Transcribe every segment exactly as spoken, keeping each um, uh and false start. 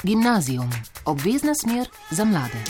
Gimnazijum, obvezna smer za mlade.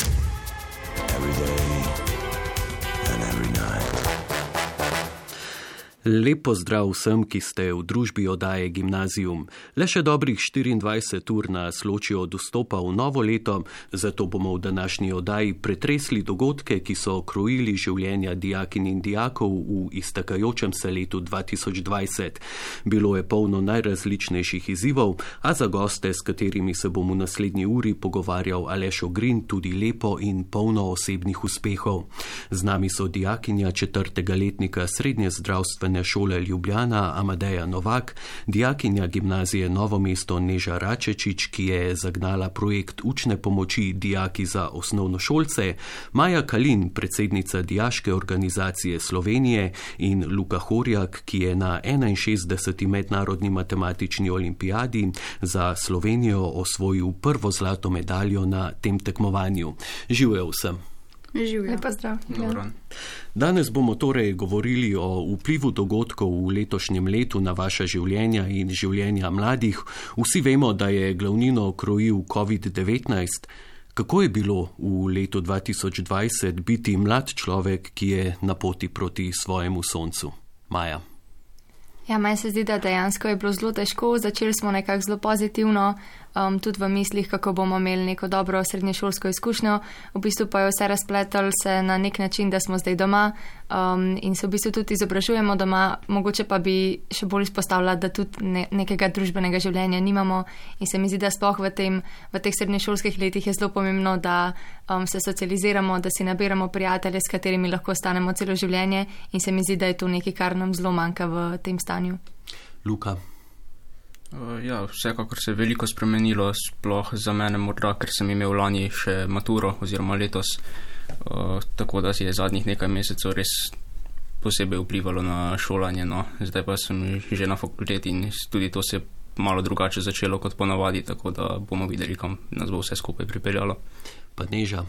Lep pozdrav vsem, ki ste v družbi oddaje Gimnazijum. Le še dobrih štiriindvajset ur nas loči od vstopa v novo leto, zato bomo v današnji oddaji pretresli dogodke, ki so krojili življenja dijakinj in dijakov v iztekajočem se letu dva tisoč dvajset. Bilo je polno najrazličnejših izzivov, a za goste, s katerimi se bom v naslednji uri pogovarjal Aleš Ogrin, tudi lepo in polno osebnih uspehov. Z nami so dijakinja četrtega letnika srednje zdravstvene šole Ljubljana Amadeja Novak, dijakinja gimnazije Novo mesto Neža Račečič, ki je zagnala projekt učne pomoči dijaki za osnovnošolce, Maja Kalin, predsednica Dijaške organizacije Slovenije, in Luka Horjak, ki je na enainšestdeseti mednarodni matematični olimpijadi za Slovenijo osvojil prvo zlato medaljo na tem tekmovanju. Živjo vsem! Živjo. Pozdrav. Danes bomo torej govorili o vplivu dogodkov v letošnjem letu na vaša življenja in življenja mladih. Vsi vemo, da je glavnino krojil covid devetnajst. Kako je bilo v letu dva tisoč dvajset biti mlad človek, ki je na poti proti svojemu soncu? Maja. Ja, meni se zdi, da dejansko je bilo zelo težko. Začeli smo nekako zelo pozitivno, um, tudi v mislih, kako bomo imeli neko dobro srednješolsko izkušnjo. V bistvu pa je vse razpletalo se na nek način, da smo zdaj doma um, in se v bistvu tudi izobražujemo doma. Mogoče pa bi še bolj izpostavila, da tudi ne, nekega družbenega življenja nimamo in se mi zdi, da sploh v, tem, v teh srednješolskih letih je zelo pomembno, da um, se socializiramo, da si nabiramo prijatelje, s katerimi lahko ostanemo celo življenje, in se mi zdi, da je to nekaj, kar nam zelo manjka v tem stanju. Luka. Ja, vsekakor se je veliko spremenilo, sploh za mene morda, ker sem imel lani še maturo oziroma letos, uh, tako da si je zadnjih nekaj mesecev res posebej vplivalo na šolanje. No. Zdaj pa sem že na fakulteti in tudi to se je malo drugače začelo kot ponavadi, tako da bomo videli, kam nas bo vse skupaj pripeljalo. Pa Neža.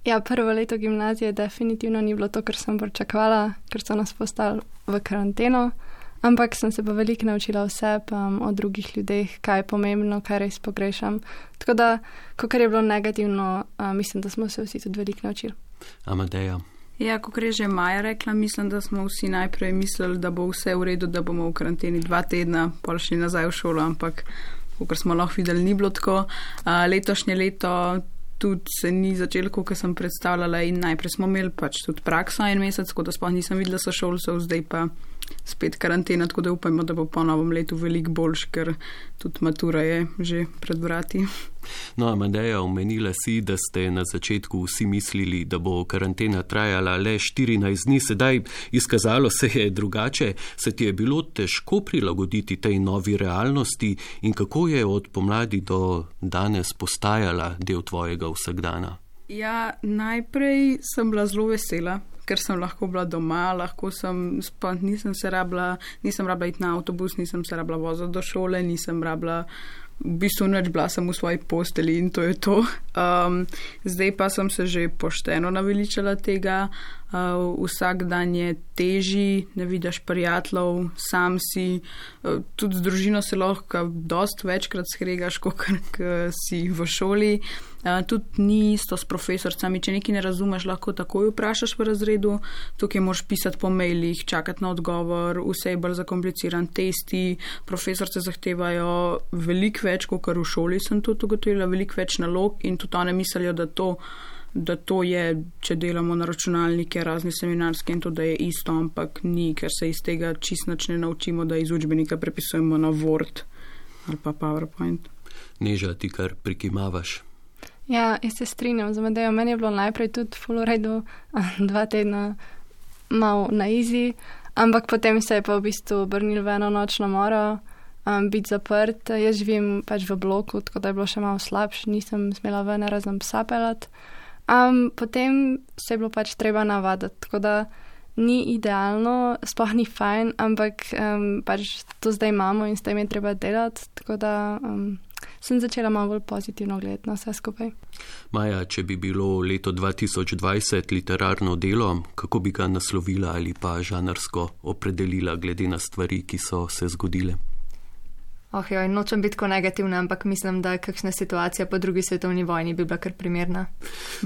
Ja, prvo leto gimnazije definitivno ni bilo to, kar sem pričakovala, ker so nas postavili v karanteno. Ampak sem se pa veliko naučila vse um, o drugih ljudeh, kaj je pomembno, kaj res pogrešam. Tako da, kakor je bilo negativno, uh, mislim, da smo se vsi tudi veliko naučili. Amadeja. Ja, kakor je že Maja rekla, mislim, da smo vsi najprej mislili, da bo vse v redu, da bomo v karanteni dva tedna, pol šli nazaj v šolo, ampak kakor smo lahko videli, ni bilo tako. Uh, letošnje leto tudi se ni začelo, kot sem predstavljala, in najprej smo imeli pač tudi prakso en mesec, tako da sploh nisem videla sošolcev, zdaj pa spet karantena, tako da upajmo, da bo po novem letu veliko boljš, ker tudi matura je že pred vrati. No, Amadeja, omenila si, da ste na začetku vsi mislili, da bo karantena trajala le štirinajst dni, sedaj izkazalo se je drugače. Se ti je bilo težko prilagoditi tej novi realnosti in kako je od pomladi do danes postajala del tvojega vsakdana? Ja, najprej sem bila zelo vesela, ker sem lahko bila doma, lahko sem, pa nisem se rabila, nisem rabila iti na avtobus, nisem se rabila voziti do šole, nisem rabila, v bistvu nič, bila sem v svoji posteli in to je to. Um, zdaj pa sem se že pošteno naveličala tega, uh, vsak dan je težji, ne vidiš prijateljev, sam si, uh, tudi z družino se lahko dost večkrat skregaš, kot si v šoli. Uh, tudi ni isto s profesorcami, če nekaj ne razumeš, lahko takoj vprašaš v razredu, tukaj moraš pisati po mailih, čakati na odgovor, vse je bolj zakompliciran, testi, profesorce zahtevajo veliko več, kot v šoli sem tudi ugotovila, veliko več nalog in tudi one mislijo, da to, da to je, če delamo na računalnike, razne seminarske in to, da je isto, ampak ni, ker se iz tega čist nič ne naučimo, da iz učbenika prepisujemo na Word ali pa PowerPoint. Neža, ti kar prikimavaš. Ja, jaz se strinjam z Amadejo. Meni je bilo najprej tudi ful v redu, dva tedna malo na easy, ampak potem se je pa v bistvu obrnil v eno nočno moro, um, biti zaprt. Jaz živim pač v bloku, tako da je bilo še malo slabše, nisem smela ven razen psa pelat. Um, potem se je bilo pač treba navaditi, tako da ni idealno, sploh ni fajn, ampak um, pač to zdaj imamo in s tem je treba delati, tako da um, sem začela malo bolj pozitivno gledati na vse skupaj. Maja, če bi bilo leto dva tisoč dvajset literarno delo, kako bi ga naslovila ali pa žanrsko opredelila glede na stvari, ki so se zgodile? Oh, joj, nočem biti tako negativna, ampak mislim, da kakšna situacija po drugi svetovni vojni bi bila kar primerna.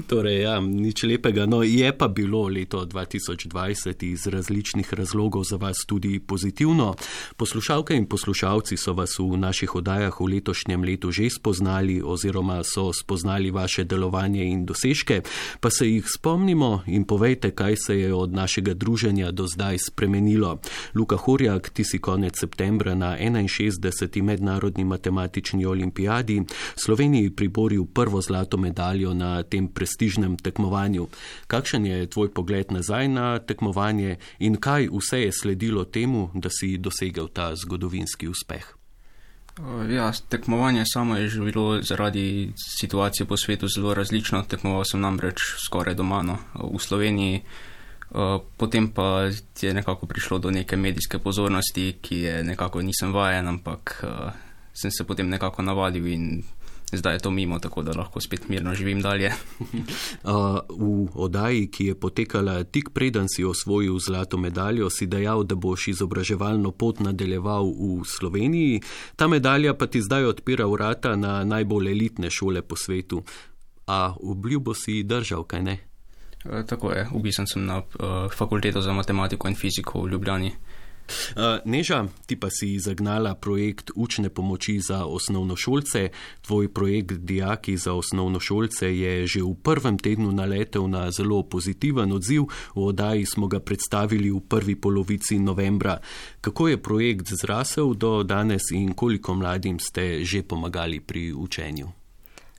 Torej, ja, nič lepega. No, je pa bilo leto dva tisoč dvajset iz različnih razlogov za vas tudi pozitivno. Poslušalke in poslušalci so vas v naših oddajah v letošnjem letu že spoznali oziroma so spoznali vaše delovanje in dosežke, pa se jih spomnimo in povejte, kaj se je od našega druženja do zdaj spremenilo. Luka Horjak, ti si konec septembra na enainšestdeseti mednarodni matematični olimpijadi Sloveniji priboril prvo zlato medaljo na tem prestižnem tekmovanju. Kakšen je tvoj pogled nazaj na tekmovanje in kaj vse je sledilo temu, da si dosegel ta zgodovinski uspeh? Ja, tekmovanje samo je že bilo zaradi situacije po svetu zelo različno. Tekmoval sem namreč skoraj doma, no, v Sloveniji. Potem pa je nekako prišlo do neke medijske pozornosti, ki je nekako nisem vajen, ampak sem se potem nekako navadil in zdaj je to mimo, tako da lahko spet mirno živim dalje. V oddaji, ki je potekala tik preden si osvojil zlato medaljo, si dejal, da boš izobraževalno pot nadaljeval v Sloveniji. Ta medalja pa ti zdaj odpira vrata na najbolj elitne šole po svetu. A obljubo si držal, kaj ne? Tako je, upisan sem na uh, fakulteto za matematiko in fiziko v Ljubljani. Uh, Neža, ti pa si zagnala projekt učne pomoči za osnovnošolce. Tvoj projekt Dijaki za osnovnošolce je že v prvem tednu naletel na zelo pozitiven odziv. V oddaji smo ga predstavili v prvi polovici novembra. Kako je projekt zrasel do danes in koliko mladim ste že pomagali pri učenju?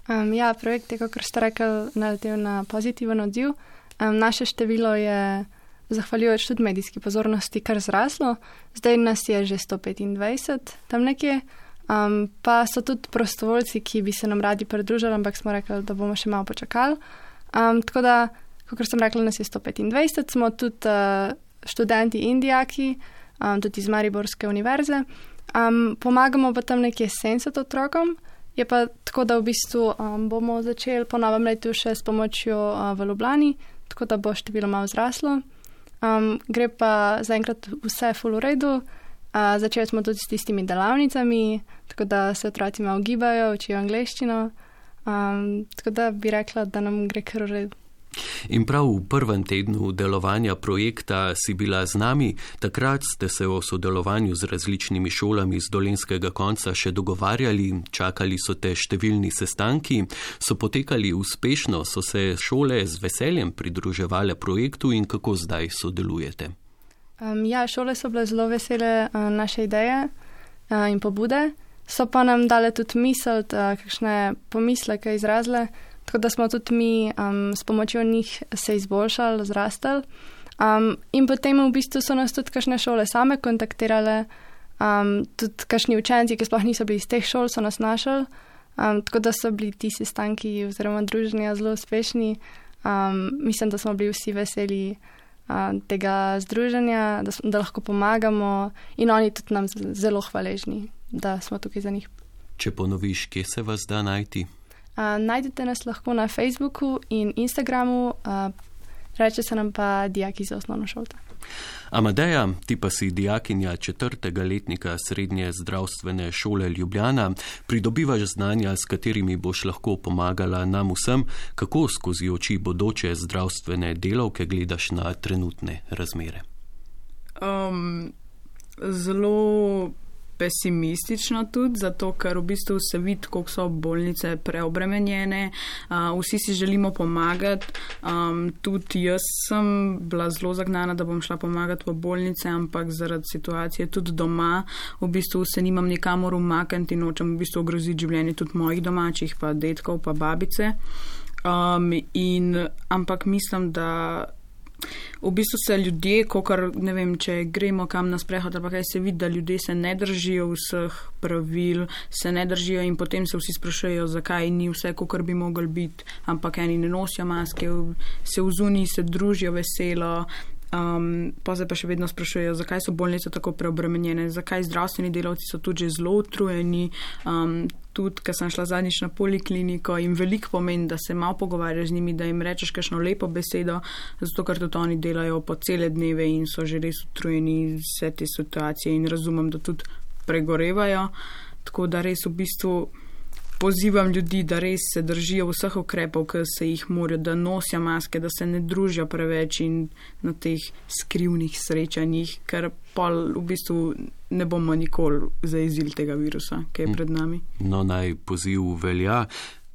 Um, ja, projekt je, kakor ste rekli, naletel na pozitiven odziv. Um, naše število je, zahvaljujoč tudi medijski pozornosti, kar zraslo. Zdaj nas je že sto petindvajset, tam nekje. Um, pa so tudi prostovoljci, ki bi se nam radi pridružili, ampak smo rekli, da bomo še malo počakali. Um, tako da, kakor sem rekla, nas je sto petindvajset, smo tudi uh, študenti in dijaki, um, tudi iz Mariborske univerze. Um, pomagamo pa tam nekje sedemdeset otrokom. Je pa tako, da v bistvu um, bomo začeli po novem letu še s pomočjo uh, v Ljubljani, tako da bo število malo zraslo. Um, gre pa zaenkrat vse ful v redu. Uh, začeli smo tudi s tistimi delavnicami, tako da se otroci malo gibajo, učijo angleščino. Um, tako da bi rekla, da nam gre kar v redu. In prav v prvem tednu delovanja projekta si bila z nami. Takrat ste se o sodelovanju z različnimi šolami z dolenjskega konca še dogovarjali, čakali so te številni sestanki, so potekali uspešno, so se šole z veseljem pridruževale projektu in kako zdaj sodelujete? Um, ja, šole so bile zelo vesele uh, naše ideje uh, in pobude, so pa nam dale tudi misel, uh, kakšne pomisleke izrazile. Tako da smo tudi mi um, s pomočjo njih se izboljšali, zrastali. Um, in potem v bistvu so nas tudi kakšne šole same kontaktirale, um, tudi kakšni učenci, ki sploh niso bili iz teh šol, so nas našli. Um, tako da so bili ti sestanki oziroma druženja zelo uspešni. Um, mislim, da smo bili vsi veseli um, tega združenja, da, da lahko pomagamo in oni tudi nam zelo hvaležni, da smo tukaj za njih. Če ponoviš, kje se vas da najti? Uh, najdete nas lahko na Facebooku in Instagramu, uh, reče se nam pa Dijaki za osnovnošolce. Amadeja, ti pa si dijakinja četrtega letnika Srednje zdravstvene šole Ljubljana. Pridobivaš znanja, s katerimi boš lahko pomagala nam vsem. Kako skozi oči bodoče zdravstvene delavke gledaš na trenutne razmere? Um, zelo pesimistično tudi, zato ker v bistvu se vidi, koliko so bolnice preobremenjene, uh, vsi si želimo pomagati, um, tudi jaz sem bila zelo zagnana, da bom šla pomagati v bolnice, ampak zaradi situacije tudi doma, v bistvu se nimam nikamor umakniti in nočem v bistvu ogroziti življenje tudi mojih domačih, pa detkov, pa babice. Um, in, ampak mislim, da v bistvu se ljudje, kokar, ne vem, če gremo kam na sprehod, ali pa kaj se vidi, da ljudje se ne držijo vseh pravil, se ne držijo in potem se vsi sprašujejo, zakaj ni vse, kokar bi mogli biti, ampak eni ne nosijo maske, se vzuni, se družijo veselo, um, pa se pa še vedno sprašujejo, zakaj so bolnice tako preobremenjene, zakaj zdravstveni delavci so tudi že zelo utrujeni, um, tudi, ker sem šla zadnjič na polikliniko in veliko pomeni, da se malo pogovarjaš z njimi, da jim rečeš kakšno lepo besedo, zato ker tudi oni delajo po cele dneve in so že res utrujeni vse te situacije in razumem, da tudi pregorevajo. Tako da res v bistvu pozivam ljudi, da res se držijo vseh ukrepov, ki se jih morajo, da nosijo maske, da se ne družijo preveč in na teh skrivnih srečanjih, ker pol v bistvu ne bomo nikoli zajezili tega virusa, ki je pred nami. No, naj poziv velja.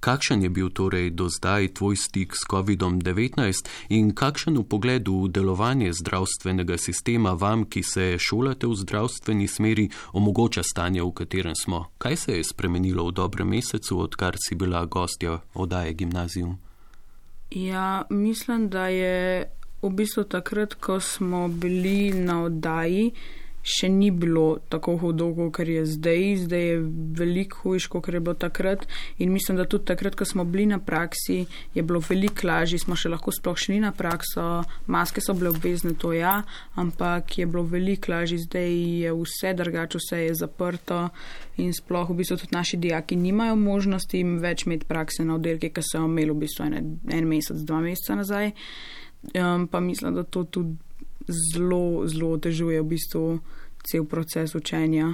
Kakšen je bil torej do zdaj tvoj stik s kovidom devetnajst in kakšen vpogled v delovanje zdravstvenega sistema vam, ki se šolate v zdravstveni smeri, omogoča stanje, v katerem smo? Kaj se je spremenilo v dobrem mesecu, odkar si bila gostja oddaje Gimnazium? Ja, mislim, da je v bistvu takrat, ko smo bili na oddaji, še ni bilo tako hudo, kot je zdaj. Zdaj je veliko hujš, kot je bilo takrat. In mislim, da tudi takrat, ko smo bili na praksi, je bilo veliko lažje, smo še lahko sploh šli na prakso, maske so bile obvezne, to ja, ampak je bilo veliko lažje. Zdaj je vse drugače, vse je zaprto in sploh v bistvu tudi naši dijaki nimajo možnosti več imeti prakse na oddelki, ki so jo imeli v bistvu en, en mesec, dva meseca nazaj. Um, pa mislim, da to tudi zelo, zelo otežuje v bistvu cel proces učenja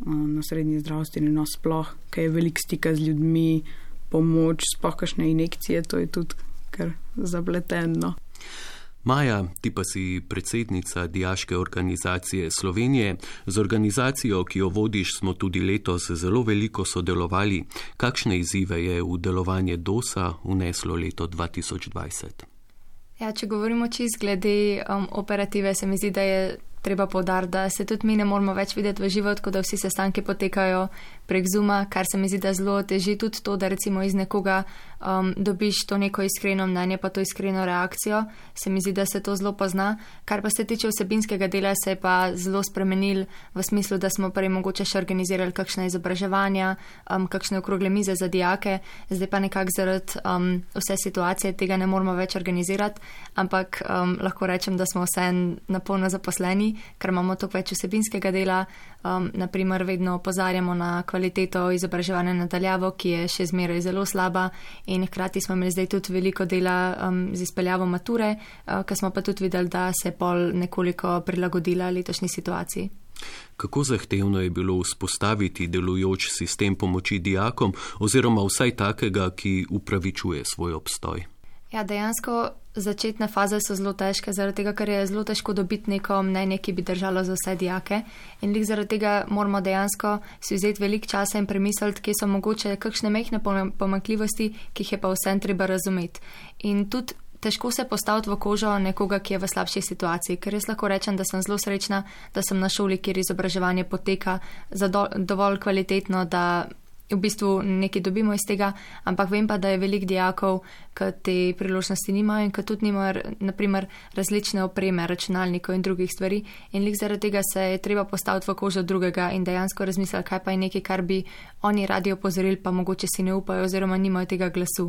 na srednji zdravstveni, no sploh, ker je veliko stika z ljudmi, pomoč, sploh kakšne injekcije, to je tudi kar zapleteno. Maja, ti pa si predsednica Dijaške organizacije Slovenije. Z organizacijo, ki jo vodiš, smo tudi letos zelo veliko sodelovali. Kakšne izzive je v delovanje D O S-a vneslo leto dva tisoč dvajset? Ja, če govorimo čisto glede um, operative, se mi zdi, da je treba poudariti, da se tudi mi ne moramo več videti v živo, tako da vsi sestanki potekajo prek Zooma, kar se mi zdi, da zelo teži tudi to, da recimo iz nekoga um, dobiš to neko iskreno mnenje, pa to iskreno reakcijo. Se mi zdi, da se to zelo pozna. Kar pa se tiče vsebinskega dela, se je pa zelo spremenil v smislu, da smo prej mogoče še organizirali kakšne izobraževanja, um, kakšne okrogle mize za dijake, zdaj pa nekako zaradi um, vse situacije tega ne moramo več organizirati, ampak um, lahko rečem, da smo vse napolno zaposleni, ker imamo toliko več vsebinskega dela. Um, naprimer, vedno opozarjamo na kvaliteto izobraževanja nadaljavo, ki je še zmeraj zelo slaba, in hkrati smo imeli zdaj tudi veliko dela um, z izpeljavo mature, uh, ker smo pa tudi videli, da se je pol nekoliko prilagodila letošnji situaciji. Kako zahtevno je bilo vzpostaviti delujoč sistem pomoči dijakom oziroma vsaj takega, ki upravičuje svoj obstoj? Ja, dejansko začetne faze so zelo težke, zaradi tega, ker je zelo težko dobiti neko mnenje, ki bi držalo za vse dijake. In lik zaradi tega moramo dejansko si vzeti veliko časa in premisliti, kje so mogoče kakšne mehne pomanjkljivosti, ki jih je pa vsem treba razumeti. In tudi težko se postaviti v kožo nekoga, ki je v slabši situaciji, ker jaz lahko rečem, da sem zelo srečna, da sem na šoli, kjer izobraževanje poteka dovolj kvalitetno, da v bistvu nekaj dobimo iz tega, ampak vem pa, da je veliko dijakov, ki te priložnosti nimajo in ki tudi nimajo naprimer različne opreme, računalnikov in drugih stvari, in lik zaradi tega se je treba postaviti v kožo drugega in dejansko razmisliti, kaj pa je nekaj, kar bi oni radi opozorili, pa mogoče si ne upajo oziroma nimajo tega glasu.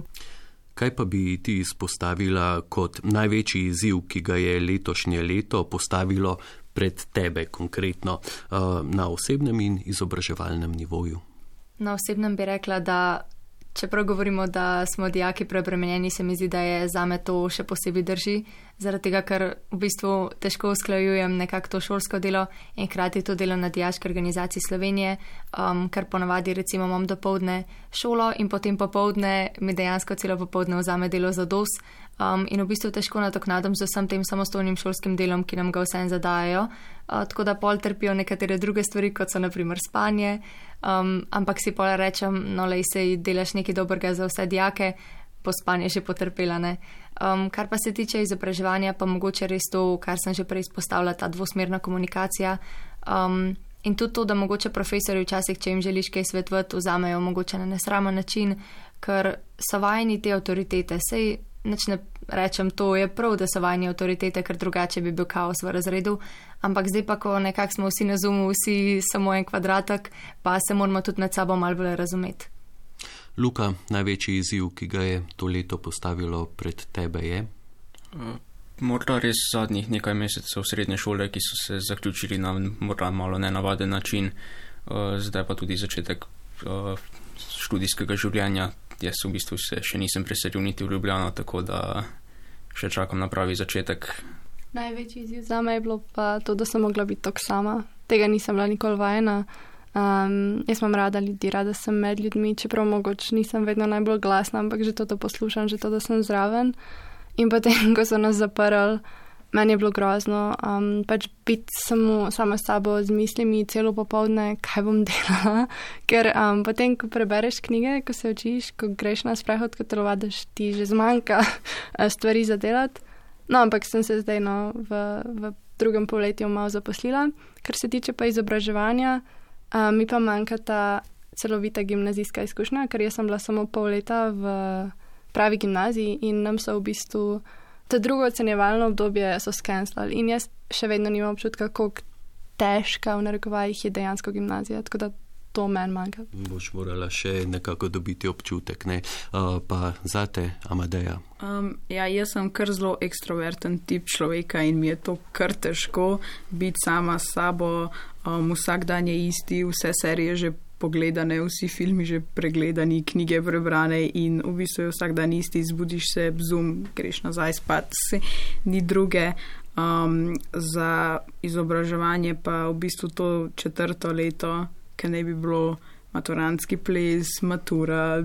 Kaj pa bi ti izpostavila kot največji izziv, ki ga je letošnje leto postavilo pred tebe konkretno na osebnem in izobraževalnem nivoju? Na osebnem bi rekla, da čeprav govorimo, da smo dijaki preobremenjeni, se mi zdi, da je zame to še posebej drži, zaradi tega, ker v bistvu težko usklajujem nekako to šolsko delo in hkrati to delo na Dijaški organizaciji Slovenije, um, ker ponavadi recimo imam dopoldne šolo in potem popoldne mi dejansko celo popoldne vzame delo za D O S, um, in v bistvu težko nadoknadam z vsem tem samostojnim šolskim delom, ki nam ga vsem zadajajo, uh, tako da pol trpijo nekatere druge stvari, kot so naprimer spanje, um, ampak si pol rečem, no lej, sej delaš nekaj dobrega za vse dijake, po spanje že potrpela, ne. Um, kar pa se tiče izobraževanja, pa mogoče res to, kar sem že prej izpostavila, ta dvosmerna komunikacija, um, in tudi to, da mogoče profesori včasih, če jim želiš kaj svetovati, vzamejo mogoče na nesramen način, ker so vajeni te avtoritete. Sej nič ne rečem, to je prav, da so vajeni avtoritete, ker drugače bi bil kaos v razredu, ampak zdaj pa, ko nekako smo vsi na Zoomu, vsi samo en kvadratek, pa se moramo tudi med sabo malo bolj razumeti. Luka, največji izziv, ki ga je to leto postavilo pred tebe, je? Uh, morda res zadnjih nekaj mesecev srednje šole, ki so se zaključili na morda malo nenavaden način, uh, zdaj pa tudi začetek uh, študijskega življenja. Jaz v bistvu se še nisem preselil niti v Ljubljano, tako da še čakam na pravi začetek. Največji izziv zame je bilo pa to, da sem mogla biti tako sama. Tega nisem bila nikoli vajena. Um, jaz imam rada ljudi, rada sem med ljudmi, čeprav mogoče nisem vedno najbolj glasna, ampak že to, to poslušam, že to, da sem zraven. In potem, ko so nas zaprli, meni je bilo grozno, um, pač biti samo sama s sabo z mislimi celo popoldne, kaj bom delala, ker um, potem, ko prebereš knjige, ko se učiš, ko greš na sprehod, ko telovadiš, ti že zmanjka stvari za delati. No, ampak sem se zdaj no, v, v drugem polletju malo zaposlila. Kar se tiče pa izobraževanja, um, mi pa manjka ta celovita gimnazijska izkušnja, ker jaz sem bila samo pol leta v pravi gimnaziji in nam so v bistvu to drugo ocenjevalno obdobje so skenslali in jaz še vedno nimam občutka, koliko težka v narekovajih je dejansko gimnazija, tako da to meni manjka. Boš morala še nekako dobiti občutek, ne? Uh, pa zate, Amadeja? Um, ja, jaz sem kar zelo ekstroverten tip človeka in mi je to kar težko biti sama s sabo, um, vsak dan je isti, vse serije že pogledane, vsi filmi že pregledani, knjige prebrane in v bistvu je vsak dan isti, zbudiš se, bzum, greš nazaj spat, se ni druge. Um, za izobraževanje pa v bistvu to četrto leto, ker ne bi bilo maturantski ples, matura,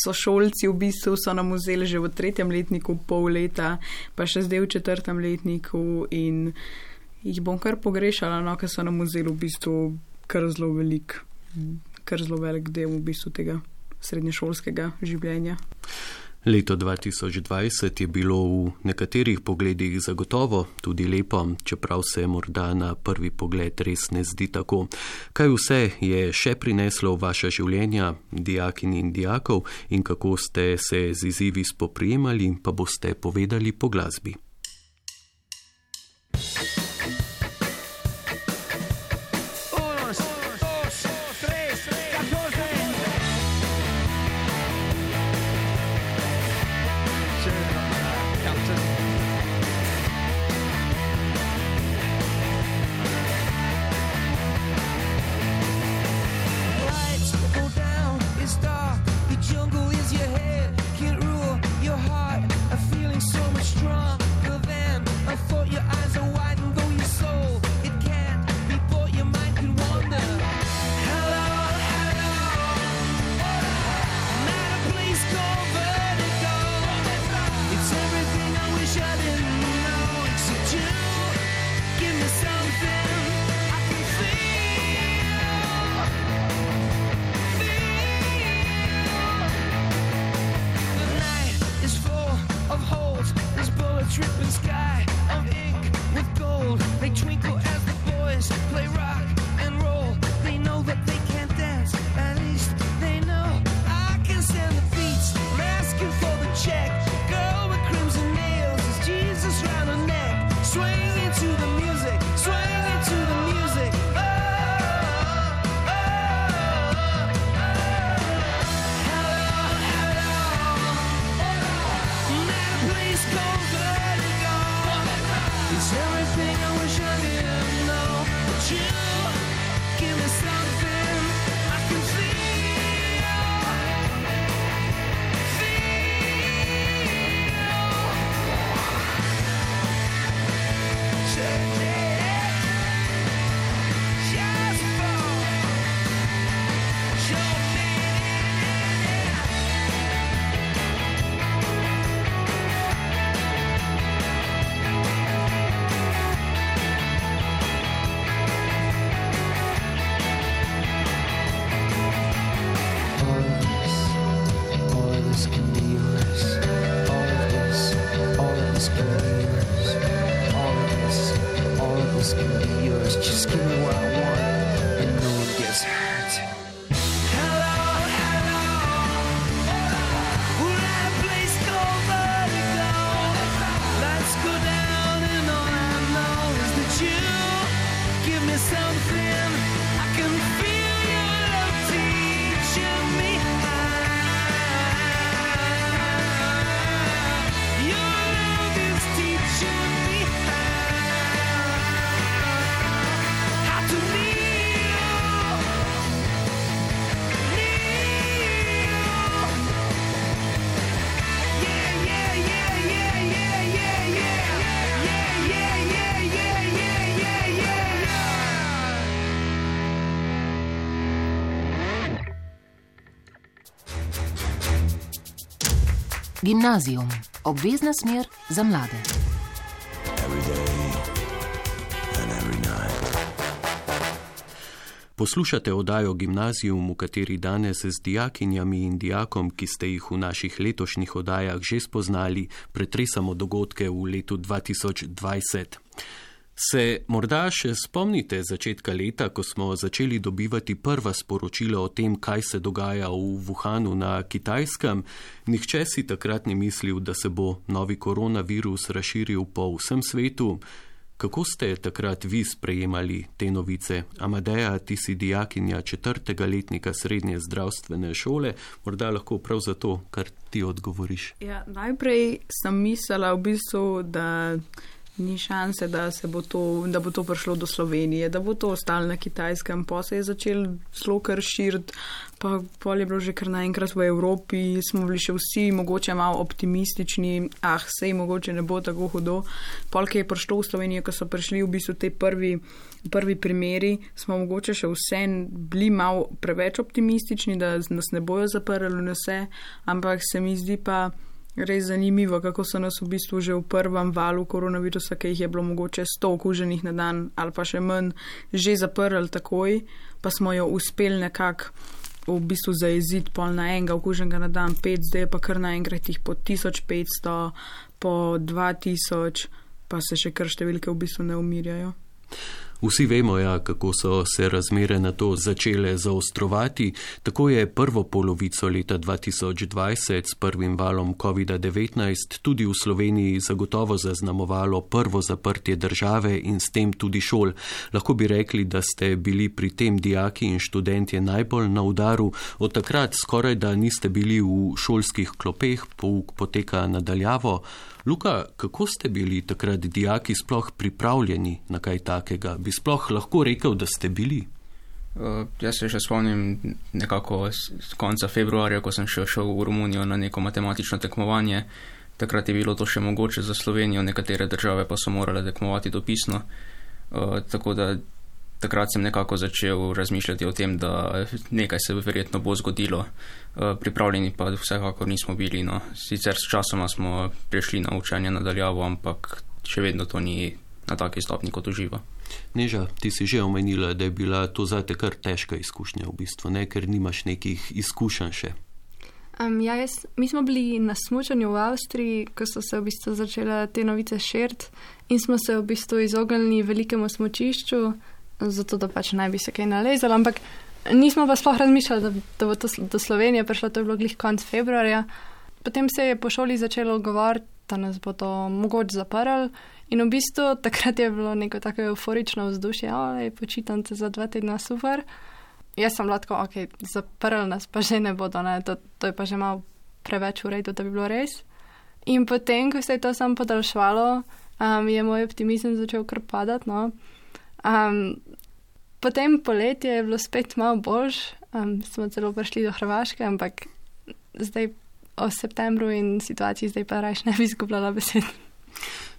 sošolci v bistvu so nam vzeli že v tretjem letniku pol leta, pa še zdaj v četrtem letniku in jih bom kar pogrešala, no, ker so nam vzeli v bistvu kar zelo velik, kar zelo velik del v bistvu tega srednješolskega življenja. Leto dva tisoč dvajset je bilo v nekaterih pogledih zagotovo tudi lepo, čeprav se morda na prvi pogled res ne zdi tako. Kaj vse je še prineslo v vaša življenja, dijakinj in dijakov, in kako ste se z izzivi spoprijemali, pa boste povedali po glasbi. Jungle is your head, can't rule your heart, a feeling so much strong. Gimnazijum, obvezna smer za mlade. Poslušate oddajo Gimnazijum, v kateri danes z dijakinjami in dijakom, ki ste jih v naših letošnjih oddajah že spoznali, pretresamo dogodke v letu dva tisoč dvajset. Se morda še spomnite začetka leta, ko smo začeli dobivati prva sporočila o tem, kaj se dogaja v Wuhanu na Kitajskem? Nihče si takrat ni mislil, da se bo novi koronavirus razširil po vsem svetu. Kako ste takrat vi sprejemali te novice? Amadeja, ti si dijakinja četrtega letnika srednje zdravstvene šole, morda lahko prav zato, kar ti odgovoriš. Ja, najprej sem mislila v bistvu, da ni šanse, da, se bo to, da bo to prišlo do Slovenije, da bo to ostalo na Kitajskem, pa se je začel zelo kar širiti, pa pol je bilo že kar naenkrat v Evropi, smo bili še vsi mogoče malo optimistični, ah, sej mogoče ne bo tako hudo. Pol, ki je prišlo v Slovenijo, ko so prišli v bistvu te prvi, prvi primeri, smo mogoče še vse bili malo preveč optimistični, da nas ne bojo zaprli na vse, ampak se mi zdi pa res zanimivo, kako so nas v bistvu že v prvem valu koronavirusa, ki jih je bilo mogoče sto okuženih na dan ali pa še manj, že zaprli takoj, pa smo jo uspeli nekako v bistvu zajeziti pol na enega okuženega na dan, pet, zdaj pa kar naenkrat jih po tisoč petsto, po dva tisoč, pa se še kar številke v bistvu ne umirjajo. Vsi vemo, ja, kako so se razmere na to začele zaostrovati. Tako je prvo polovico leta dva tisoč dvajset s prvim valom kovida devetnajst tudi v Sloveniji zagotovo zaznamovalo prvo zaprtje države in s tem tudi šol. Lahko bi rekli, da ste bili pri tem dijaki in študentje najbolj na udaru. Od takrat skoraj da niste bili v šolskih klopeh, pouk poteka nadaljavo. Luka, kako ste bili takrat dijaki sploh pripravljeni na kaj takega? Bi sploh lahko rekel, da ste bili? Uh, jaz se še spomnim nekako z konca februarja, ko sem še šel v Romunijo na neko matematično tekmovanje. Takrat je bilo to še mogoče za Slovenijo, nekatere države pa so morale tekmovati dopisno. Uh, tako da takrat sem nekako začel razmišljati o tem, da nekaj se verjetno bo zgodilo. Pripravljeni pa vsekakor nismo bili. No. Sicer s časoma smo prišli na učenje nadaljavo, ampak še vedno to ni na taki stopni kot uživa. Neža, ti si že omenila, da je bila to zate kar težka izkušnja v bistvu, ne? Ker nimaš nekih izkušenj še. Um, ja, jaz, mi smo bili na smučanju v Avstriji, ko so se v bistvu začele te novice širiti in smo se v bistvu izognili velikemu smučišču, zato da pač naj bi se kaj nalezalo, ampak nismo pa sploh razmišljali, da, da bo to do Slovenije prišlo, to je bilo glih konc februarja. Potem se je po šoli začelo govoriti, da nas bo to mogoče zaprl in v bistvu takrat je bilo neko tako euforično vzdušje, oj, počitnice za dva tedna, super. Jaz sem bila tako, ok, zaprl nas pa že ne bodo, ne, to, to je pa že malo preveč v redu, da bi bilo res. In potem, ko se je to samo podaljšvalo, um, je moj optimizem začel kar padati, no. Um, potem poletje je bilo spet malo boljš, um, smo celo prišli do Hrvaške, ampak zdaj o septembru in situaciji zdaj pa rajš ne bi izgubljala besed.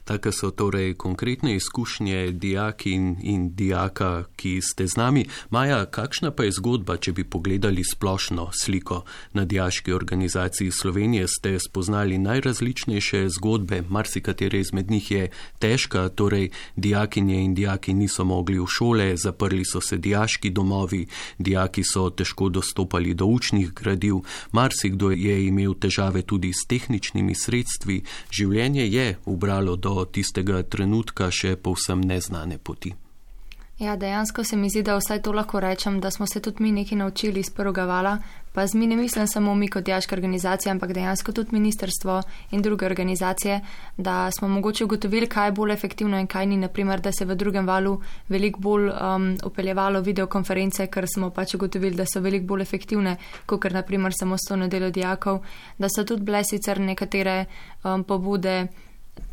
Take so torej konkretne izkušnje dijakin in dijaka, ki ste z nami. Maja, kakšna pa je zgodba, če bi pogledali splošno sliko? Na Dijaški organizaciji Slovenije ste spoznali najrazličnejše zgodbe, marsikatere izmed njih je težka, torej dijakinje in dijaki niso mogli v šole, zaprli so se dijaški domovi, dijaki so težko dostopali do učnih gradiv, marsikdo je imel težave tudi s tehničnimi sredstvi, življenje je ubralo do tistega trenutka še povsem neznane poti. Ja, dejansko se mi zdi, da vsaj to lahko rečem, da smo se tudi mi nekaj naučili iz prvega vala, pa z mi ne mislim samo mi kot dijaška organizacija, ampak dejansko tudi ministrstvo in druge organizacije, da smo mogoče ugotovili, kaj je bolj efektivno in kaj ni, naprimer, da se v drugem valu veliko bolj um, upeljevalo videokonference, ker smo pač ugotovili, da so veliko bolj efektivne, kot ker naprimer samostojno delo dijakov, da so tudi bile sicer nekatere um, pobude,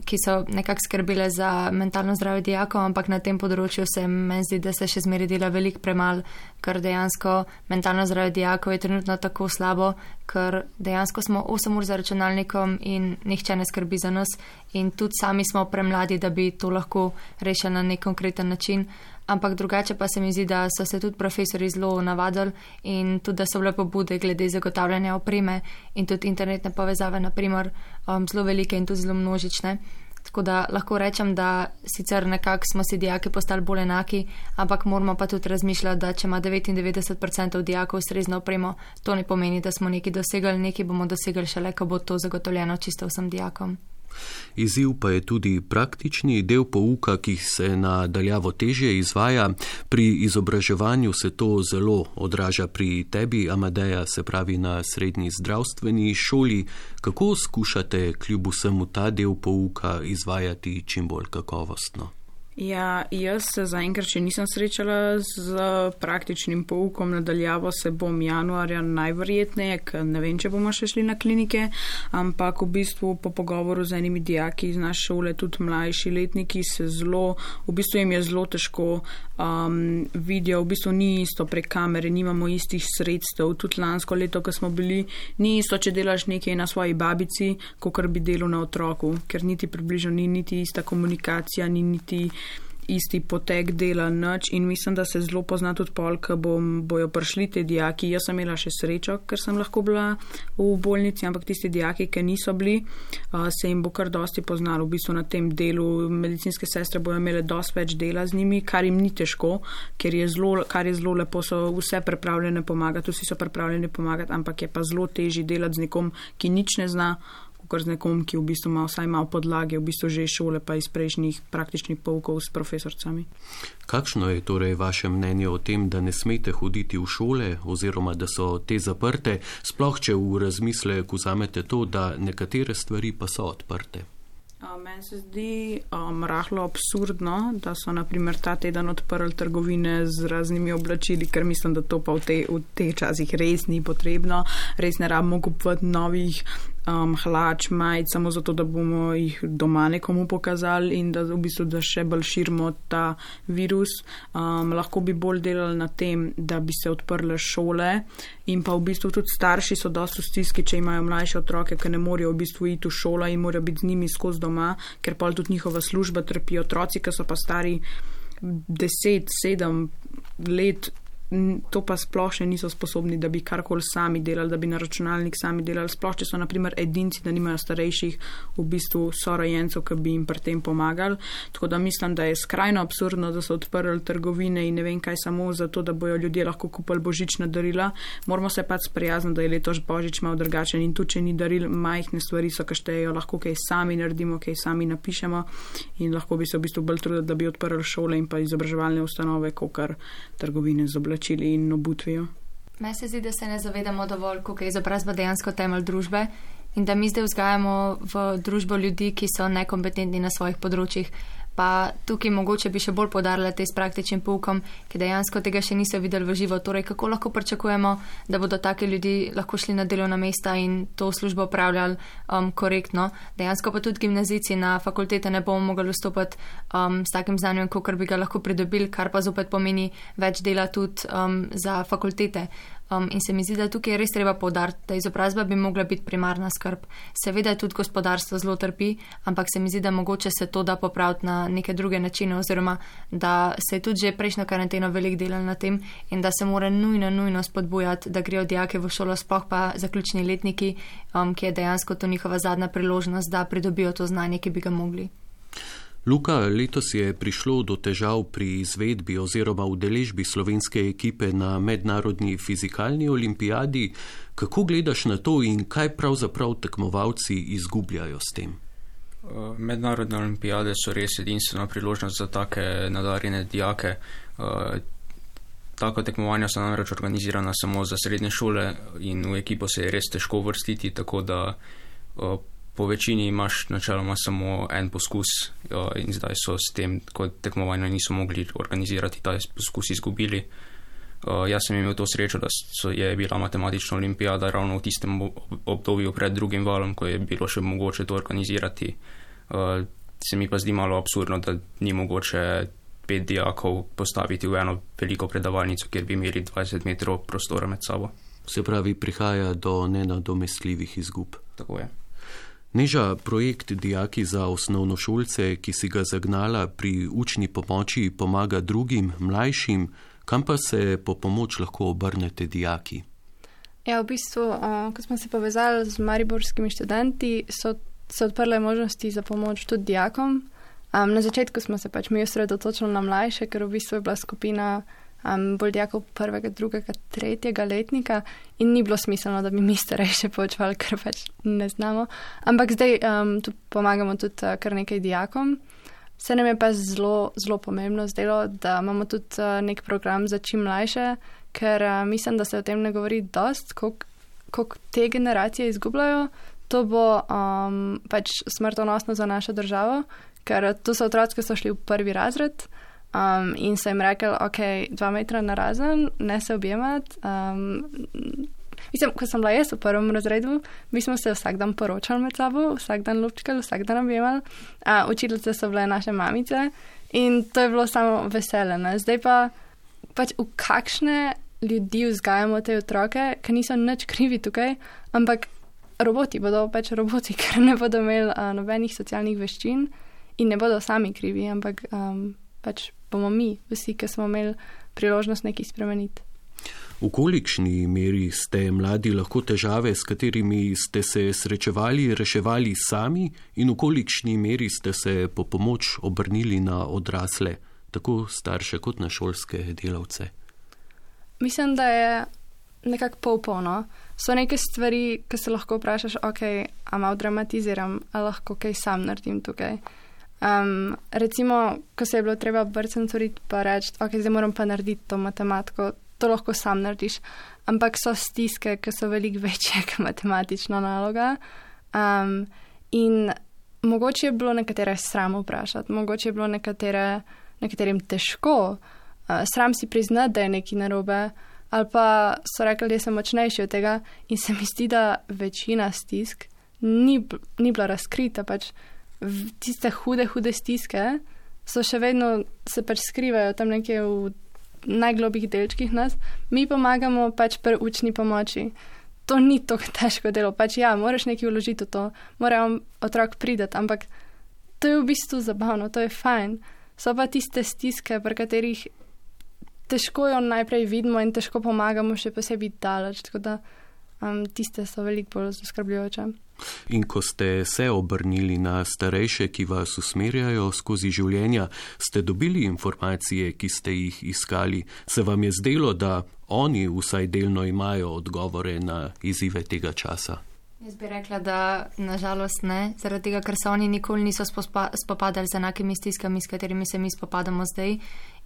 ki so nekako skrbile za mentalno zdravje dijakov, ampak na tem področju se meni zdi, da se še zmeraj dela veliko premal, ker dejansko mentalno zdravje dijakov je trenutno tako slabo, ker dejansko smo osem ur za računalnikom in nihče ne skrbi za nas in tudi sami smo premladi, da bi to lahko rešili na nek konkreten način. ampak drugače pa se mi zdi, da so se tudi profesori zelo navadili in tudi, da so bile pobude glede zagotavljanja opreme in tudi internetne povezave, naprimer, um, zelo velike in tudi zelo množične. Tako da lahko rečem, da sicer nekako smo si dijaki postali bolj enaki, ampak moramo pa tudi razmišljati, da če ima devetindevetdeset procentov dijakov ustrezno opremo, to ne pomeni, da smo nekaj dosegli, nekaj bomo dosegli šele, ko bo to zagotovljeno čisto vsem dijakom. Izziv pa je tudi praktični del pouka, ki se na daljavo težje izvaja. Pri izobraževanju se to zelo odraža pri tebi, Amadeja, se pravi na srednji zdravstveni šoli. Kako skušate kljub vsemu ta del pouka izvajati čim bolj kakovostno? Ja, jaz se zaenkrat še nisem srečala z praktičnim poukom, nadaljavo se bom januarja najverjetneje, ker ne vem, če bomo še šli na klinike, ampak v bistvu po pogovoru z enimi dijaki iz naše šole, tudi mlajši letniki, se zelo, v bistvu jim je zelo težko um, vidijo, v bistvu ni isto prek kamere, nimamo istih sredstev, tudi lansko leto, ko smo bili, ni isto, če delaš nekaj na svoji babici, kakor bi delal na otroku, ker niti približno ni niti ista komunikacija, ni niti isti potek dela nič in mislim, da se zelo pozna tudi pol, ko bom, bojo prišli te dijaki. Jaz sem imela še srečo, ker sem lahko bila v bolnici, ampak tisti dijaki, ki niso bili, uh, se jim bo kar dosti poznalo. V bistvu na tem delu medicinske sestre bojo imele dosti več dela z njimi, kar jim ni težko, ker je zelo, kar je zelo lepo, so vse pripravljene pomagati, vsi so pripravljeni pomagati, ampak je pa zelo težji delati z nekom, ki nič ne zna, kot z nekom, ki v bistvu ima vsaj malo podlage, v bistvu že šole pa iz prejšnjih praktičnih poukov s profesorcami. Kakšno je torej vaše mnenje o tem, da ne smete hoditi v šole oziroma da so te zaprte, sploh če v razmislek vzamete to, da nekatere stvari pa so odprte? Meni se zdi um, rahlo absurdno, da so naprimer ta teden odprli trgovine z raznimi oblačili, ker mislim, da to pa v te, v te časih res ni potrebno. Res ne rabimo kupovati novih um, hlač, majic, samo zato, da bomo jih doma nekomu pokazali in da v bistvu da še bolj širimo ta virus. Um, lahko bi bolj delali na tem, da bi se odprle šole in pa v bistvu tudi starši so dosti v stiski, če imajo mlajše otroke, ki ne morejo v bistvu iti v šolo in morajo biti z njimi skozi doma, ker pa tudi njihova služba trpi. Otroci, ki so pa stari deset, sedem let, to pa sploh še niso sposobni, da bi karkoli sami delali, da bi na računalnik sami delali, sploh če so naprimer edinci, da nimajo starejših v bistvu sorojencev, ki bi jim pri tem pomagali. Tako da mislim, da je skrajno absurdno, da so odprli trgovine in ne vem kaj samo zato, da bojo ljudje lahko kupili božična darila. Moramo se pač sprijazniti, da je letos božič malo drugačen in tudi, če ni daril, majhne stvari so, ki štejejo, lahko kaj sami naredimo, kaj sami napišemo in lahko bi se v bistvu bolj trudili, da bi odprli šole in pa izobraževalne ustanove, kakor trgovine z oblačili in obutvijo. Meni se zdi, da se ne zavedamo dovolj, koliko je izobrazba dejansko temelj družbe in da mi zdaj vzgajamo v družbo ljudi, ki so nekompetentni na svojih področjih. Pa tukaj mogoče bi še bolj poudarila te s praktičnim poukom, ki dejansko tega še niso videli v živo. Torej, kako lahko pričakujemo, da bodo taki ljudi lahko šli na delovna mesta in to službo upravljali um, korektno. Dejansko pa tudi gimnazijci na fakultete ne bomo mogli vstopati um, s takim znanjem, kakor bi ga lahko pridobili, kar pa zopet pomeni več dela tudi um, za fakultete. Um, in se mi zdi, da tukaj je res treba poudariti, da izobrazba bi mogla biti primarna skrb. Seveda je tudi gospodarstvo zelo trpi, ampak se mi zdi, da mogoče se to da popraviti na neke druge načine oziroma da se je tudi že prejšnjo karanteno veliko delalo na tem in da se mora nujno, nujno spodbujati, da grejo dijake v šolo, sploh pa zaključni letniki, um, ki je dejansko to njihova zadnja priložnost, da pridobijo to znanje, ki bi ga mogli. Luka, letos je prišlo do težav pri izvedbi oziroma udeležbi slovenske ekipe na mednarodni fizikalni olimpijadi. Kako gledaš na to in kaj pravzaprav tekmovalci izgubljajo s tem? Mednarodne olimpijade so res edinstvena priložnost za take nadarjene dijake. Tako tekmovanja so namreč organizirana samo za srednje šole in v ekipo se je res težko vrstiti, tako da po večini imaš načeloma samo en poskus in zdaj so s tem, ko tekmovanja niso mogli organizirati, ta poskus izgubili. Jaz sem imel to srečo, da so, je bila matematična olimpijada ravno v tistem obdobju pred drugim valom, ko je bilo še mogoče to organizirati. Se mi pa zdi malo absurdno, da ni mogoče pet dijakov postaviti v eno veliko predavalnico, kjer bi imeli dvajset metrov prostora med sabo. Se pravi, prihaja do nenadomestljivih izgub. Tako je. Neža, projekt Dijaki za osnovnošolce, ki si ga zagnala pri učni pomoči, pomaga drugim, mlajšim, kam pa se po pomoč lahko obrnete dijaki? Ja, v bistvu, uh, ko smo se povezali z mariborskimi študenti, so se odprle možnosti za pomoč tudi dijakom. Um, na začetku smo se pač mi osredotočili na mlajše, ker v bistvu je bila skupina um, bolj dijakov prvega, drugega, tretjega letnika in ni bilo smiselno, da bi mi starejše poučevali, ker pač ne znamo. Ampak zdaj um, tu pomagamo tudi uh, kar nekaj dijakom. Se nam je pa zelo, zelo pomembno zdelo, da imamo tudi uh, nek program za čim mlajše, ker uh, mislim, da se o tem ne govori dost, koliko te generacije izgubljajo. To bo um, pač smrtonosno za našo državo, ker to so otroci, ki so šli v prvi razred um, in so jim rekli, ok, dva metra narazen, ne se objemati. Um, mislim, ko sem bila jaz v prvem razredu, mi smo se vsak dan poročali med sabo, vsak dan lupčkali, vsak dan objemali. Uh, učiteljice so bile naše mamice in to je bilo samo veselje. Zdaj pa pač v kakšne ljudi vzgajamo te otroke, ki niso nič krivi tukaj, ampak roboti bodo pač roboti, ker ne bodo imeli uh, nobenih socialnih veščin in ne bodo sami krivi, ampak um, pač bomo mi, vsi, ki smo imeli priložnost nekaj spremeniti. V kolikšni meri ste mladi lahko težave, s katerimi ste se srečevali, reševali sami in v kolikšni meri ste se po pomoč obrnili na odrasle, tako starše kot na šolske delavce? Mislim, da je nekako pol-polno. So neke stvari, ki se lahko vprašaš, ok, a malo dramatiziram, a lahko kaj sam naredim tukaj. Um, recimo, ko se je bilo treba brcenturiti pa reči, ok, zdaj moram pa narediti to matematiko, to lahko sam narediš. Ampak so stiske, ki so veliko večje kot matematična naloga. Um, in mogoče je bilo nekatere sram vprašati, mogoče je bilo nekatere, nekaterim težko. Uh, sram si priznati, da je nekaj narobe, ali pa so rekli, da sem močnejši od tega in se mi zdi, da večina stisk ni, ni bila razkrita. Pač tiste hude, hude stiske so še vedno se pač skrivajo tam nekje v najglobjih delčkih nas. Mi pomagamo pač pri učni pomoči. To ni tako težko delo. Pač ja, moraš nekaj vložiti v to, mora otrok prideti, ampak to je v bistvu zabavno, to je fajn. So pa tiste stiske, pri katerih težko jo najprej vidimo in težko pomagamo, še posebej daleč, tako da um, tiste so veliko bolj zaskrbljujoče. In ko ste se obrnili na starejše, ki vas usmerjajo skozi življenja, ste dobili informacije, ki ste jih iskali? Se vam je zdelo, da oni vsaj delno imajo odgovore na izzive tega časa? Jaz bi rekla, da nažalost ne, zaradi tega, ker se oni nikoli niso spopadali z enakimi stiskami, s katerimi se mi spopadamo zdaj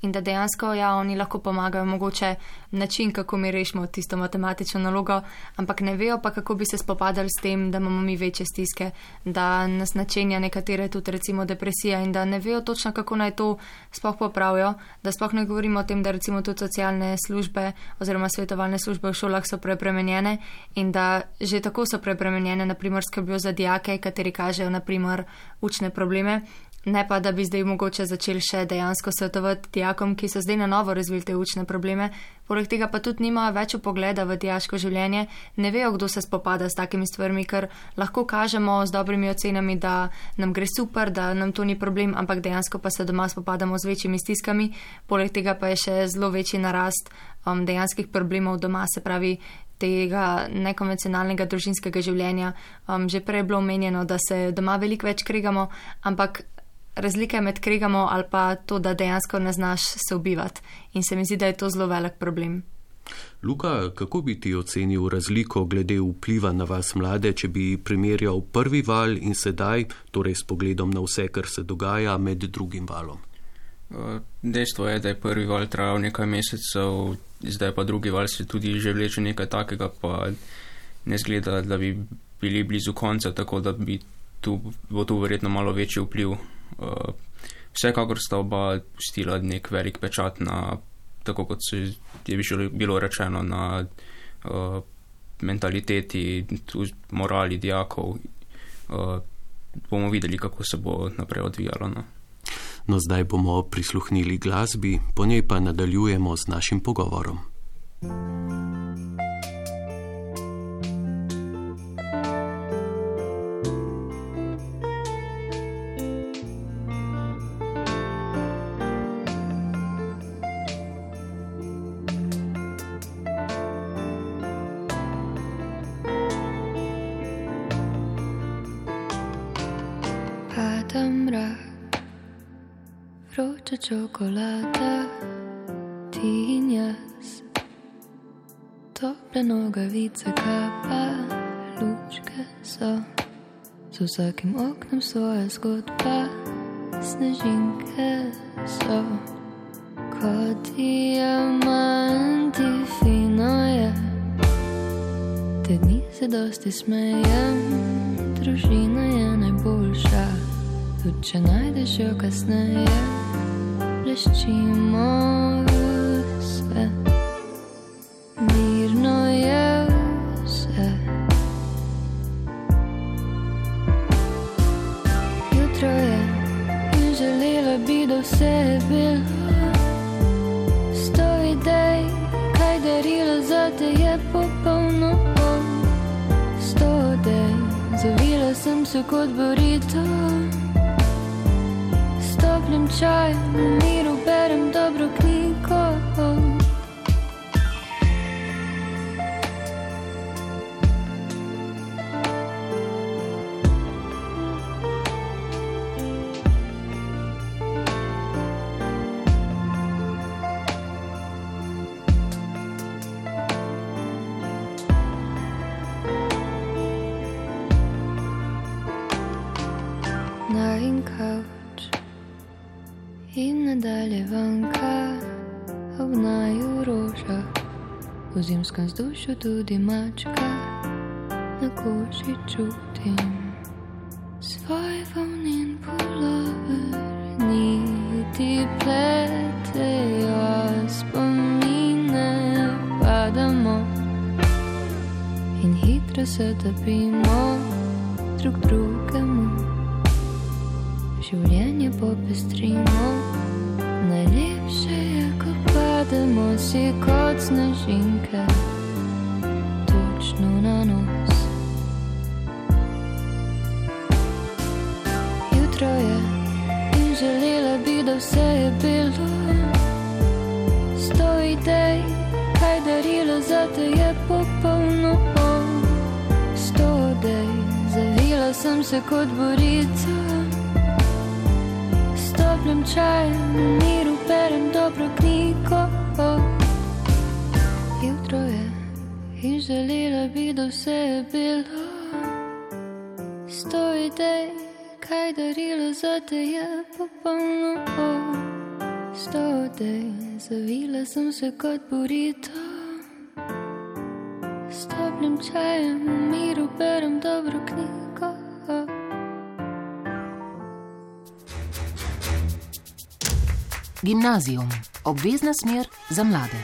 in da dejansko, ja, oni lahko pomagajo mogoče način, kako mi rešimo tisto matematično nalogo, ampak ne vejo pa, kako bi se spopadali s tem, da imamo mi večje stiske, da nas načenja nekatere tudi recimo depresija in da ne vejo točno, kako naj to sploh popravijo, da sploh ne govorimo o tem, da recimo tudi socialne službe oziroma svetovalne službe v šolah so prepremenjene in da že tako so prepremenjene, naprimer skrbijo za dijake, kateri kažejo naprimer učne probleme. Ne pa, da bi zdaj mogoče začeli še dejansko svetovati dijakom, ki so zdaj na novo razvili te učne probleme. Poleg tega pa tudi nimajo več pogleda v dijaško življenje, ne vejo, kdo se spopada s takimi stvarmi, ker lahko kažemo z dobrimi ocenami, da nam gre super, da nam to ni problem, ampak dejansko pa se doma spopadamo z večjimi stiskami. Poleg tega pa je še zelo večji narast um, dejanskih problemov doma, se pravi tega nekonvencionalnega družinskega življenja. Um, že prej je bilo omenjeno, da se doma veliko več kregamo, ampak razlika med kregamo ali pa to, da dejansko ne znaš se ubivati. In se mi zdi, da je to zelo velik problem. Luka, kako bi ti ocenil razliko glede vpliva na vas mlade, če bi primerjal prvi val in sedaj, torej s pogledom na vse, kar se dogaja med drugim valom? Dejstvo je, da je prvi val trajal nekaj mesecev, zdaj pa drugi val se tudi že vleče nekaj takega, pa ne zgleda, da bi bili blizu konca, tako da bi tu, bo tu verjetno malo večji vpliv. Uh, vsekakor sta oba pustila nek velik pečat na, tako kot se je bilo rečeno, na uh, mentaliteti, morali dijakov. Uh, bomo videli, kako se bo naprej odvijalo. No? No, zdaj bomo prisluhnili glasbi, po njej pa nadaljujemo z našim pogovorom. vroča čokolada, ti in jaz, tople nogavice, kapa, lučke so, z vsakim oknom svoja zgodba, snežinke so, kot diamanti, fino je, te dni se dosti smejem, družina je najboljša, tudi če najdeš jo kasneje, bleščimo vse, mirno je vse. Jutro je in želela bi, da vse je bilo, sto idej, kaj darilo zate je popolno, sto idej, zavila sem se kot burrito, s toplim čajem, v miru berem dobro knjigo. Najin kavč in nadaljevanka ob naju roža, v zimskem vzdušju tudi mačka, na koži čutim svoj volnin pulover, niti pletejo spomine, padamo in hitro se topimo drug drugemu. Življenje popestrimo, najlepše je, ko pademo si kot snežinke, točno na nos. Jutro je in želela bi, da vse je bilo, sto idej, kaj darilo zate je popolno, sto idej, zavila sem se kot burrito, toplim čajem, v miru berem dobro knjigo. Jutro je in želela bi, da vse je bilo, sto idej, kaj darilo zate je popolno, sto idej, zavila sem se kot burrito, s toplim čajem, v miru berem dobro knjigo. Gimnazijum, obvezna smer za mlade.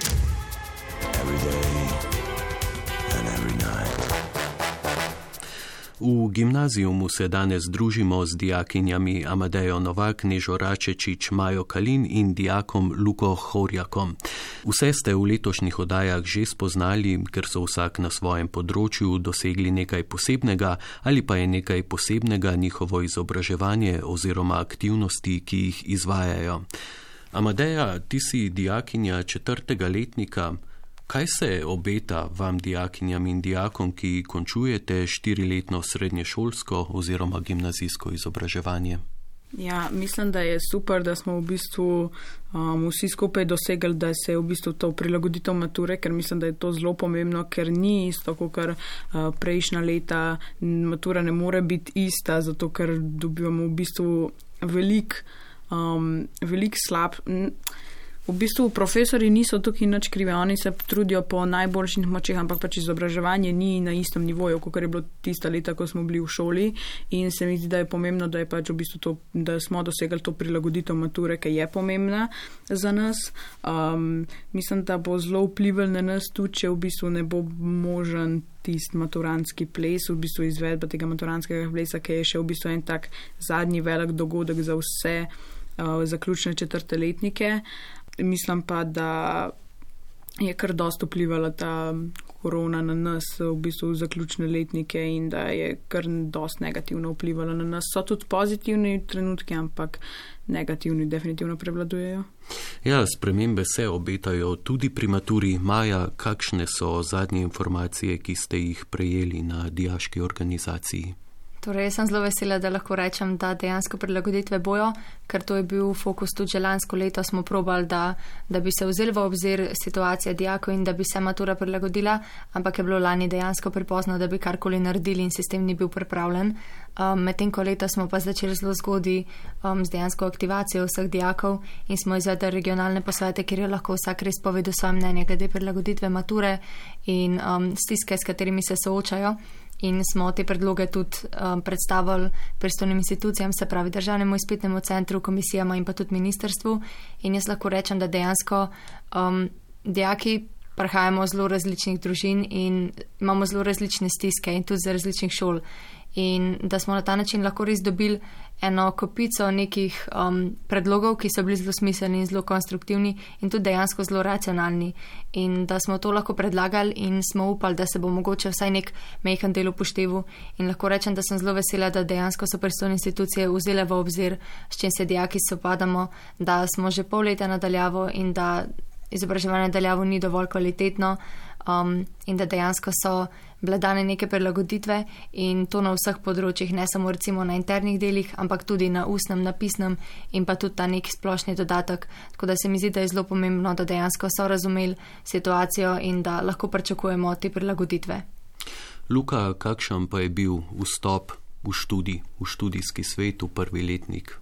V gimnazijumu se danes družimo z dijakinjami Amadejo Novak, Nežo Račečič, Majo Kalin in dijakom Luko Horjakom. Vse ste v letošnjih oddajah že spoznali, ker so vsak na svojem področju dosegli nekaj posebnega ali pa je nekaj posebnega njihovo izobraževanje oziroma aktivnosti, ki jih izvajajo. Amadeja, ti si dijakinja četrtega letnika. Kaj se obeta vam dijakinjam in dijakom, ki končujete štiriletno srednješolsko oziroma gimnazijsko izobraževanje? Ja, mislim, da je super, da smo v bistvu um, vsi skupaj dosegli, da se je v bistvu to prilagoditev mature, ker mislim, da je to zelo pomembno, ker ni isto, kot uh, prejšnja leta. Matura ne more biti ista, zato ker dobivamo v bistvu velik, um, velik slab... V bistvu profesori niso tukaj nič krivi, oni se trudijo po najboljših močeh, ampak pač izobraževanje ni na istem nivoju, kot je bilo tista leta, ko smo bili v šoli, in se mi zdi, da je pomembno, da je pač v bistvu to, da smo dosegli to prilagoditev mature, ki je pomembna za nas. Um, mislim, da bo zelo vplival na nas tudi, če v bistvu ne bo možen tisti maturantski ples, v bistvu izvedba tega maturantskega plesa, ki je še v bistvu en tak zadnji velik dogodek za vse uh, zaključne četrte letnike. Mislim pa, da je kar dosti vplivala ta korona na nas, v bistvu zaključne letnike, in da je kar dosti negativno vplivala na nas. So tudi pozitivni trenutki, ampak negativni definitivno prevladujejo. Ja, spremembe se obetajo tudi pri maturi. Maja, kakšne so zadnje informacije, ki ste jih prejeli na dijaški organizaciji? Torej, jaz sem zelo vesela, da lahko rečem, da dejansko prilagoditve bojo, ker to je bil fokus tudi že lansko leto, smo probali, da, da bi se vzeli v obzir situacija dijakov in da bi se matura prilagodila, ampak je bilo lani dejansko prepozno, da bi karkoli naredili in sistem ni bil pripravljen. Um, Medtem ko leta smo pa začeli zelo zgodaj um, z dejansko aktivacijo vseh dijakov in smo izvedli regionalne posvete, kjer je lahko vsak res povedal svoje mnenje glede prilagoditve mature in um, stiske, s katerimi se soočajo. In smo te predloge tudi um, predstavili pristojnim institucijam, se pravi državnemu izpitnemu centru, komisijama in pa tudi ministrstvu. In jaz lahko rečem, da dejansko um, dijaki prihajamo z zelo različnih družin in imamo zelo različne stiske in tudi z različnih šol. In da smo na ta način lahko res dobili eno kopico nekih um, predlogov, ki so bili zelo smiselni in zelo konstruktivni in tudi dejansko zelo racionalni. In da smo to lahko predlagali in smo upali, da se bo mogoče vsaj nek majhen del upošteval. In lahko rečem, da sem zelo vesela, da dejansko so pristojne institucije vzele v obzir, s čim se dijaki sopadamo, da smo že pol leta nadaljavo in da izobraževanje nadaljavo ni dovolj kvalitetno. Um, in da dejansko so bile dane neke prilagoditve in to na vseh področjih, ne samo recimo na internih delih, ampak tudi na ustnem, napisnem in pa tudi ta nek splošni dodatek. Tako da se mi zdi, da je zelo pomembno, da dejansko so razumeli situacijo in da lahko pričakujemo te prilagoditve. Luka, kakšen pa je bil vstop v študij, v študijski svet, v prvi letnik?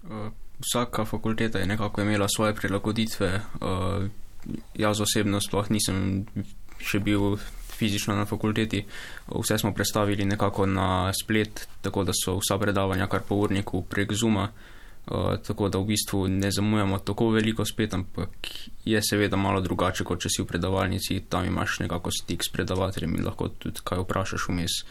Uh, vsaka fakulteta je nekako imela svoje prilagoditve. Uh, Jaz osebno sploh nisem še bil fizično na fakulteti. Vse smo predstavili nekako na splet, tako da so vsa predavanja kar po urniku prek Zooma, uh, tako da v bistvu ne zamujamo tako veliko spet, ampak je seveda malo drugače, kot če si v predavalnici, tam imaš nekako stik s predavateljem in lahko tudi kaj vprašaš vmes.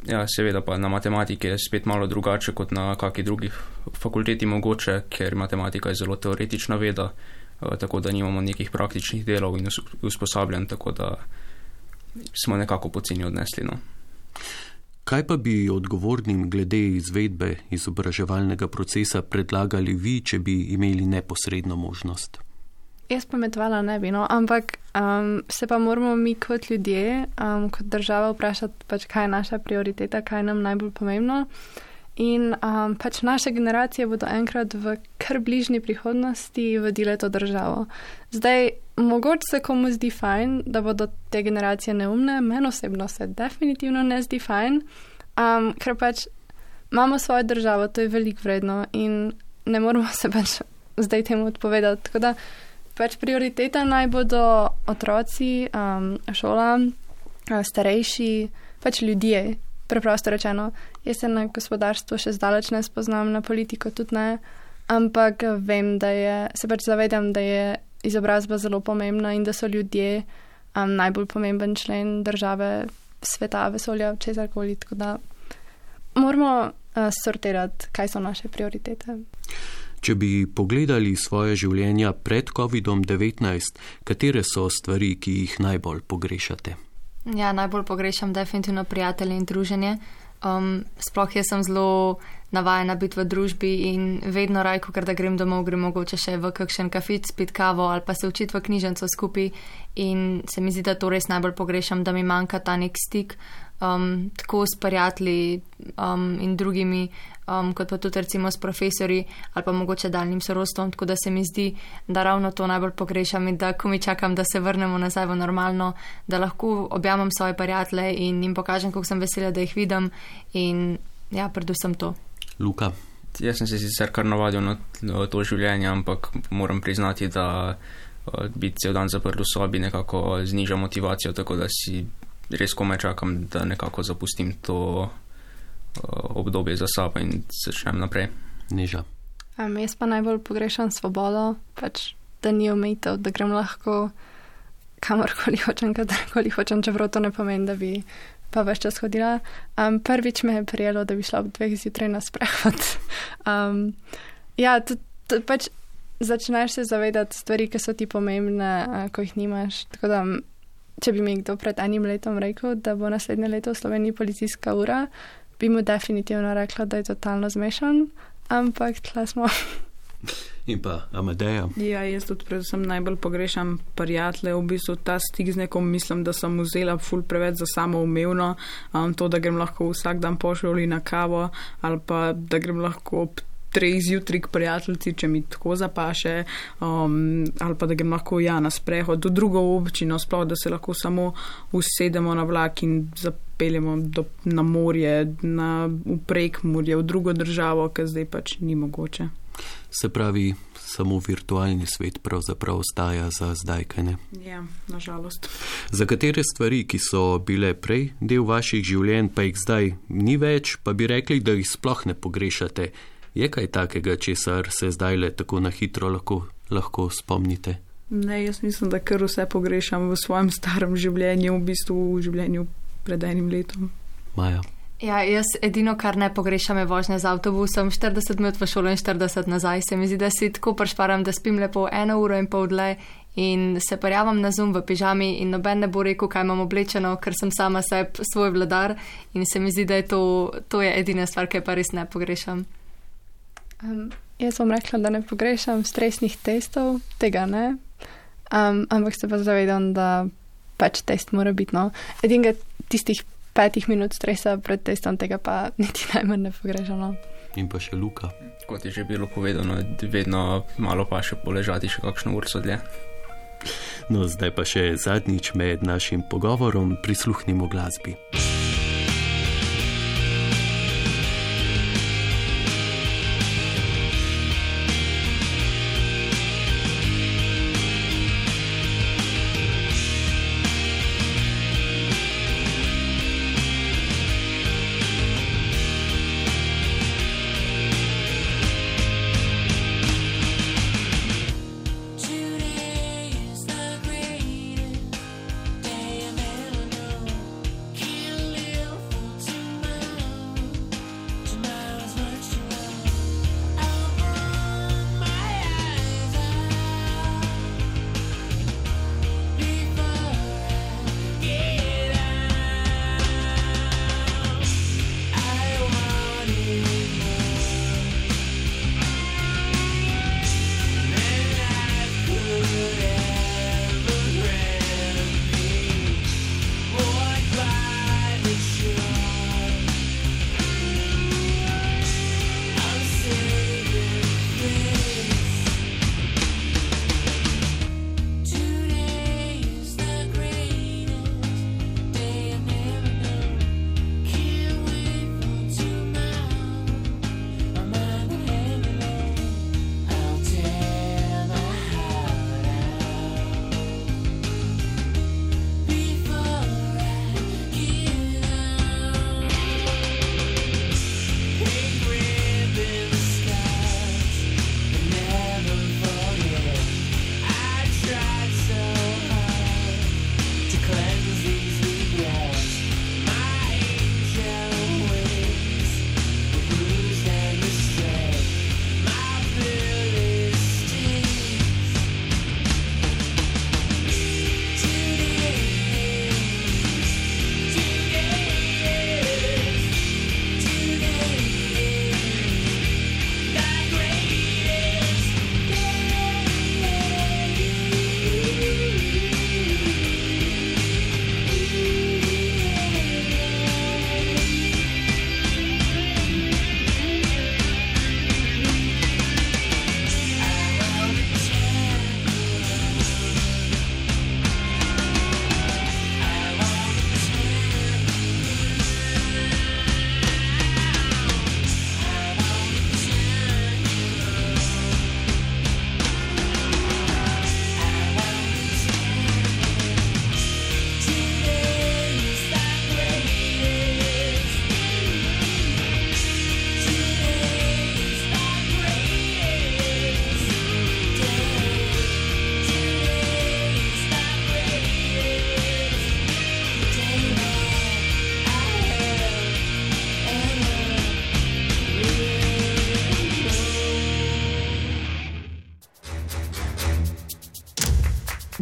Ja, seveda pa na matematiki je spet malo drugače kot na kakšni drugi fakulteti mogoče, ker matematika je zelo teoretična veda, tako da nimamo nekih praktičnih delov in usposabljanj, tako da smo nekako poceni odnesli. No. Kaj pa bi odgovornim glede izvedbe izobraževalnega procesa predlagali vi, če bi imeli neposredno možnost? Jaz pametovala ne bi, no, ampak um, se pa moramo mi kot ljudje, um, kot država vprašati, pač, kaj je naša prioriteta, kaj je nam najbolj pomembno. In um, pač naše generacije bodo enkrat v kar bližnji prihodnosti vodile to državo. Zdaj, mogoče se komu zdi fajn, da bodo te generacije neumne, meni osebno se definitivno ne zdi fajn, um, ker pač imamo svojo državo, to je veliko vredno in ne moramo se pač zdaj temu odpovedati. Tako da pač prioriteta naj bodo otroci, um, šola, starejši, pač ljudje. Preprosto rečeno, jaz se na gospodarstvo še zdaleč ne spoznam, na politiko tudi ne, ampak vem, da je, se pač zavedam, da je izobrazba zelo pomembna in da so ljudje um, najbolj pomemben člen države, sveta, vesolja, česarkoli, tako da moramo uh, sortirati, kaj so naše prioritete. Če bi pogledali svoje življenja pred kovidom devetnajst, katere so stvari, ki jih najbolj pogrešate? Ja, najbolj pogrešam definitivno prijatelje in druženje. Um, sploh jaz sem zelo navajena biti v družbi in vedno rajko, ker da grem domov, grem mogoče še v kakšen kafic, pit kavo ali pa se učiti v knjižnico skupaj in se mi zdi, da to res najbolj pogrešam, da mi manjka ta nek stik um, tako s prijatelji um, in drugimi, um, kot pa tudi recimo s profesori ali pa mogoče daljnim sorodstvom, tako da se mi zdi, da ravno to najbolj pogrešam in da ko mi čakam, da se vrnemo nazaj v normalno, da lahko objamem svoje prijatelje in jim pokažem, kako sem vesela, da jih vidim in ja, predvsem to. Luka. Jaz sem se sicer kar navadil na to življenje, ampak moram priznati, da biti cel dan zaprt v sobi nekako zniža motivacijo, tako da si res komaj čakam, da nekako zapustim to obdobje za sabo in začnem naprej. Neža. Um, jaz pa najbolj pogrešam svobodo, pač, da ni omejitev, da grem lahko kamorkoli hočem, kadarkoli hočem, čeprav to ne pomeni, da bi pa več čas hodila. Um, prvič me je prijelo, da bi šla ob dveh zjutraj na sprehod. Um, ja, to, to, pač začneš se zavedati stvari, ki so ti pomembne, uh, ko jih nimaš. Tako da, če bi mi kdo pred enim letom rekel, da bo naslednje leto v Sloveniji policijska ura, bi mu definitivno rekla, da je totalno zmešan, ampak tla smo. In pa Amadeja. Ja, jaz tudi predvsem najbolj pogrešam prijatelje, v bistvu ta stik z nekom mislim, da sem vzela ful preveč za samoumevno, um, to, da grem lahko vsak dan po šoli na kavo ali pa da grem lahko ob treh zjutraj k prijateljici, če mi tako zapaše, um, ali pa da grem lahko ja na sprehod do drugo občino, sploh da se lahko samo usedemo na vlak in zapeljemo do, na morje, na v Prekmurje, v drugo državo, ker zdaj pač ni mogoče. Se pravi, samo virtualni svet pravzaprav ostaja za zdaj, kaj ne? Ja, nažalost. Za katere stvari, ki so bile prej del vaših življenj, pa jih zdaj ni več, pa bi rekli, da jih sploh ne pogrešate? Je kaj takega, česar se zdaj le tako na hitro lahko, lahko spomnite? Ne, jaz mislim, da kar vse pogrešam v svojem starem življenju, v bistvu v življenju pred enim letom. Maja. Ja, jaz edino, kar ne pogrešam, je vožnja z avtobusom, štirideset minut v šolo in štirideset nazaj. Se mi zdi, da si tako prešparam, da spim lepo eno uro in pol dlje in se parjavam na Zoom v pižami in noben ne bo rekel, kaj imam oblečeno, ker sem sama seb svoj vladar in se mi zdi, da je to, to je edina stvar, ki pa res ne pogrešam. Um, jaz bom rekla, da ne pogrešam stresnih testov, tega ne, um, ampak se pa zavedam, da pač test mora biti, no. Edinega tistih petih minut stresa pred testom, tega pa niti najmanj ne pogrešam, no. In pa še Luka. Kot je že bilo povedano, vedno malo pa še poležati še kakšno urco dlje. No, zdaj pa še zadnjič med našim pogovorom prisluhnimo glasbi.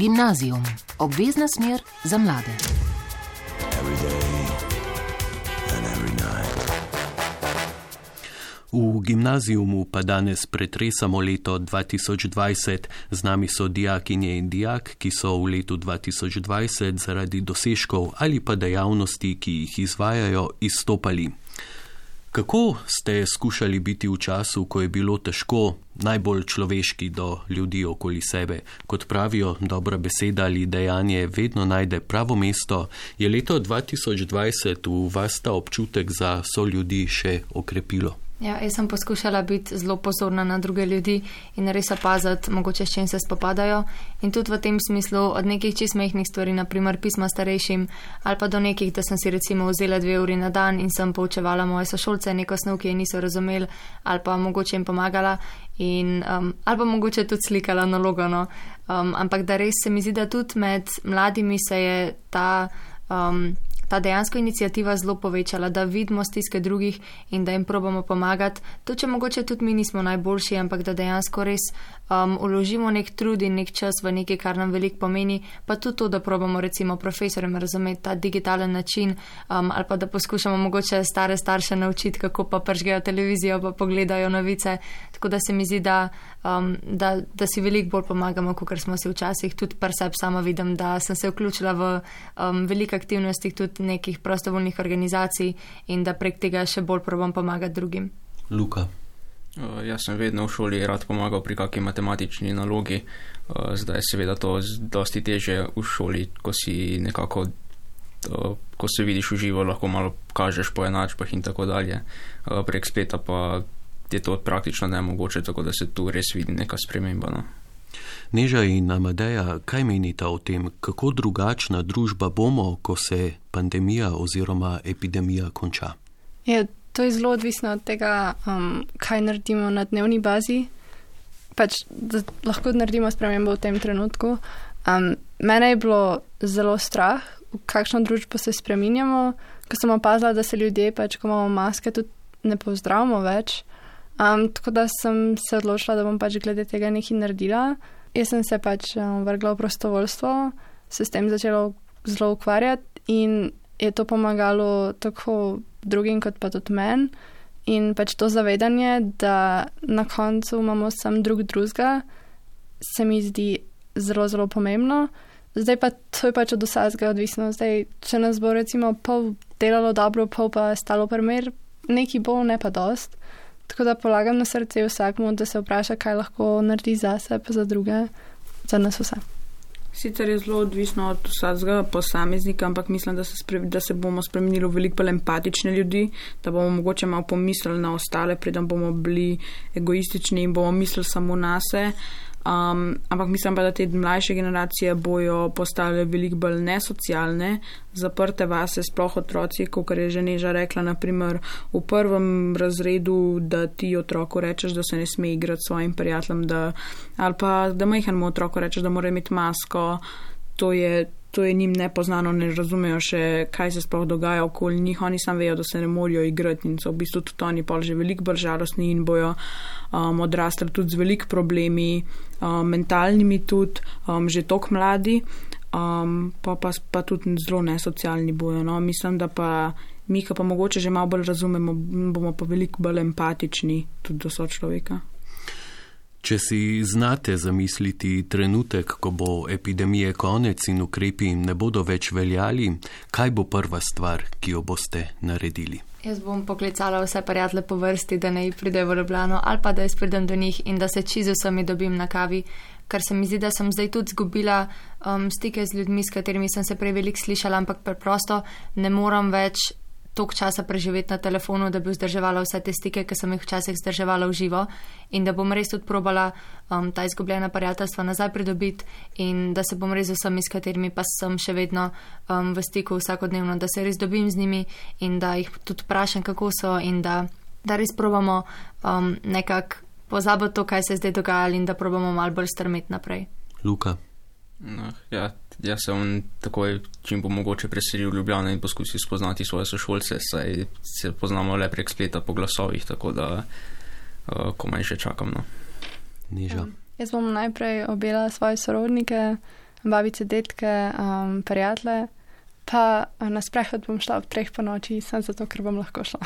Gimnazijum, obvezna smer za mlade. V gimnazijumu pa danes pretresamo leto dva tisoč dvajset. Z nami so dijakinje in dijak, ki so v letu dva tisoč dvajset zaradi dosežkov ali pa dejavnosti, ki jih izvajajo, izstopali. Kako ste skušali biti v času, ko je bilo težko, najbolj človeški do ljudi okoli sebe? Kot pravijo, dobra beseda ali dejanje vedno najde pravo mesto. Je leto dva tisoč dvajset v vas ta občutek za soljudi še okrepilo? Ja, jaz sem poskušala biti zelo pozorna na druge ljudi in res opaziti, mogoče s čim se spopadajo. In tudi v tem smislu od nekih čist mehkih stvari, naprimer pisma starejšim, ali pa do nekih, da sem si recimo vzela dve uri na dan in sem poučevala moje sošolce neko snov, ki je niso razumeli, ali pa mogoče jim pomagala, in, um, ali pa mogoče tudi slikala nalogo. No. Um, ampak da res se mi zdi, da tudi med mladimi se je ta. Um, Ta dejansko inicijativa zelo povečala, da vidimo stiske drugih in da jim probamo pomagati. To, če mogoče tudi mi nismo najboljši, ampak da dejansko res um, uložimo nek trud in nek čas v nekaj, kar nam veliko pomeni, pa tudi to, da probamo recimo profesorjem razumeti ta digitalen način, um, ali pa da poskušamo mogoče stare starše naučiti, kako pa pržgejo televizijo, pa pogledajo novice. Tako da se mi zdi, da, um, da, da si veliko bolj pomagamo, kot smo si včasih. Tudi par sebe sama vidim, da sem se vključila v um, veliko aktivnosti, tudi nekih prostovoljnih organizacij in da prek tega še bolj probam pomagati drugim. Luka. Uh, jaz sem vedno v šoli rad pomagal pri kakšni matematični nalogi. Uh, zdaj je seveda to dosti teže v šoli, ko si nekako, uh, ko se vidiš v živo, lahko malo kažeš po enačbah in tako dalje. Uh, prek spleta pa je to praktično nemogoče, tako da se tu res vidi neka sprememba. No? Neža in Amadeja, kaj menita o tem, kako drugačna družba bomo, ko se pandemija oziroma epidemija konča? Ja, to je zelo odvisno od tega, um, kaj naredimo na dnevni bazi. Pač, da lahko naredimo spremembo v tem trenutku. Um, mene je bilo zelo strah, v kakšno družbo se spreminjamo, ko sem opazila, da se ljudje, pač, ko imamo maske, tudi ne pozdravimo več. Um, tako da sem se odločila, da bom pač glede tega nekaj naredila. Jaz sem se pač um, vrgla v prostovoljstvo, se s tem začela zelo ukvarjati in je to pomagalo tako drugim kot pa tudi meni. In pač to zavedanje, da na koncu imamo sam drug drugega, se mi zdi zelo, zelo pomembno. Zdaj pa to je pač od vsakega odvisno. Zdaj, če nas bo recimo pol delalo dobro, pol pa stalo primer, nekaj bo, ne pa dost. Tako da polagam na srce vsakmu, da se vpraša, kaj lahko naredi zase, pa za druge, za nas vse. Sicer je zelo odvisno od vsakega posameznika, ampak mislim, da se, spre, da se bomo spremenili v veliko bolj empatične ljudi, da bomo mogoče malo pomislili na ostale, preden bomo bili egoistični in bomo mislili samo na se. Um, ampak mislim pa, da te mlajše generacije bojo postale veliko bolj nesocialne, zaprte vase, sploh otroci, kot je že Neža rekla, naprimer v prvem razredu, da ti otroku rečeš, da se ne sme igrati s svojim prijateljem, da, ali pa da majhnemu otroku rečeš, da mora imeti masko, to je, to je njim nepoznano, ne razumejo še, kaj se sploh dogaja okoli njih, oni sam vejo, da se ne morajo igrati in so v bistvu tudi oni pol že veliko bolj žalostni in bojo um, odrasli tudi z veliko problemi, um, mentalnimi tudi, um, že tok mladi, um, pa, pa, pa tudi zelo nesocialni bojo. No? Mislim, da pa mi, ki pa mogoče že malo bolj razumemo, bomo pa veliko bolj empatični tudi do sočloveka. Če si znate zamisliti trenutek, ko bo epidemije konec in ukrepi ne bodo več veljali, kaj bo prva stvar, ki jo boste naredili? Jaz bom poklicala vse prijatelje po vrsti, da ne pridejo v Ljubljano ali pa da jaz pridem do njih in da se čisto sami dobim na kavi, ker se mi zdi, da sem zdaj tudi zgubila um, stike z ljudmi, s katerimi sem se prej veliko slišala, ampak preprosto ne moram več toliko časa preživeti na telefonu, da bi vzdrževala vse te stike, ki sem jih včasih vzdrževala v živo in da bom res tudi probala um, ta izgubljena prijateljstva nazaj pridobiti in da se bom res z vsemi, s katerimi pa sem še vedno um, v stiku vsakodnevno, da se res dobim z njimi in da jih tudi vprašam, kako so in da, da res probamo um, nekako pozabiti to, kaj se je zdaj dogajalo in da probamo malo bolj strmeti naprej. Luka. No, ja, jaz sem takoj, čim bo mogoče preselil v Ljubljano in poskusil spoznati svoje sošolce, saj se poznamo le prek spleta po glasovih, tako da uh, komaj še čakam. No. Neža. Um, jaz bom najprej objela svoje sorodnike, babice, detke, um, prijatelje, pa na sprehod bom šla ob treh po noči, sem zato, ker bom lahko šla.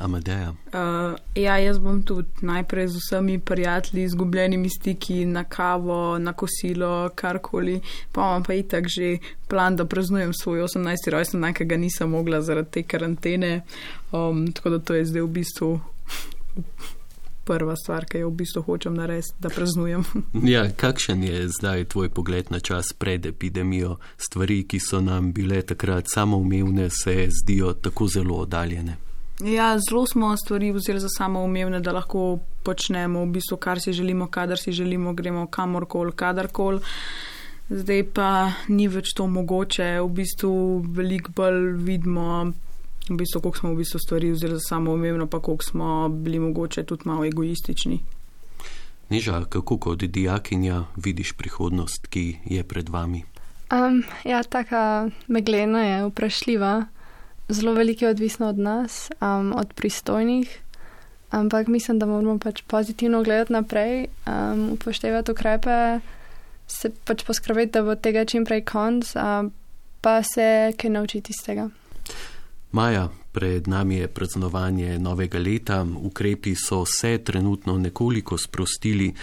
Amadeja? Uh, ja, jaz bom tudi najprej z vsemi prijatelji, izgubljenimi stiki na kavo, na kosilo, karkoli. Pa imam pa itak že plan, da praznujem svoj osemnajsti rojstni dan, ki ga nisem mogla zaradi te karantene. Um, tako da to je zdaj v bistvu prva stvar, ki jo v bistvu hočem narediti, da praznujem. Ja, kakšen je zdaj tvoj pogled na čas pred epidemijo? Stvari, ki so nam bile takrat samoumevne, se zdijo tako zelo oddaljene. Ja, zelo smo stvari vzeli za samoumevne, da lahko počnemo v bistvu, kar si želimo, kadar si želimo, gremo kamorkoli, kadarkoli. Zdaj pa ni več to mogoče, v bistvu veliko bolj vidimo, v bistvu, koliko smo v bistvu stvari vzeli za samoumevno, pa koliko smo bili mogoče tudi malo egoistični. Neža, kako kot dijakinja vidiš prihodnost, ki je pred vami? Um, ja, taka meglena je, vprašljiva. Zelo veliko je odvisno od nas, um, od pristojnih, ampak mislim, da moramo pač pozitivno gledati naprej, um, upoštevati ukrepe, se pač poskrbeti, da bo tega čim prej konc, um, pa se kaj naučiti iz tega. Maja, pred nami je praznovanje novega leta, ukrepi so se trenutno nekoliko sprostili.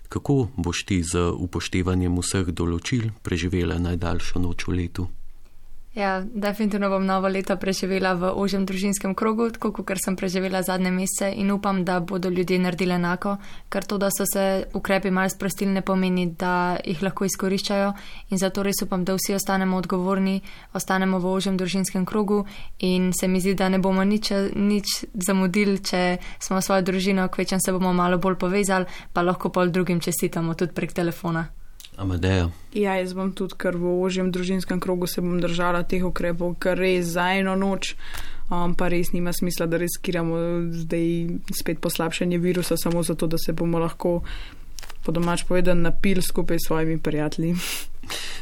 Kako boš ti z upoštevanjem vseh določil preživela najdaljšo noč v letu? Ja, definitivno bom novo leto preživela v ožjem družinskem krogu, tako kot sem preživela zadnje mesece in upam, da bodo ljudje naredili enako, ker to, da so se ukrepi malo sprostili, ne pomeni, da jih lahko izkoriščajo in zato res upam, da vsi ostanemo odgovorni, ostanemo v ožjem družinskem krogu in se mi zdi, da ne bomo nič, nič zamudili, če smo svojo družino, kvečem se bomo malo bolj povezali, pa lahko pol drugim čestitamo tudi prek telefona. Amadeja. Ja, jaz bom tudi, ker v ožjem družinskem krogu se bom držala teh ukrepov, ker res za eno noč, um, pa res nima smisla, da riskiramo zdaj spet poslabšanje virusa, samo zato, da se bomo lahko po domač povedan napili skupaj s svojimi prijatelji.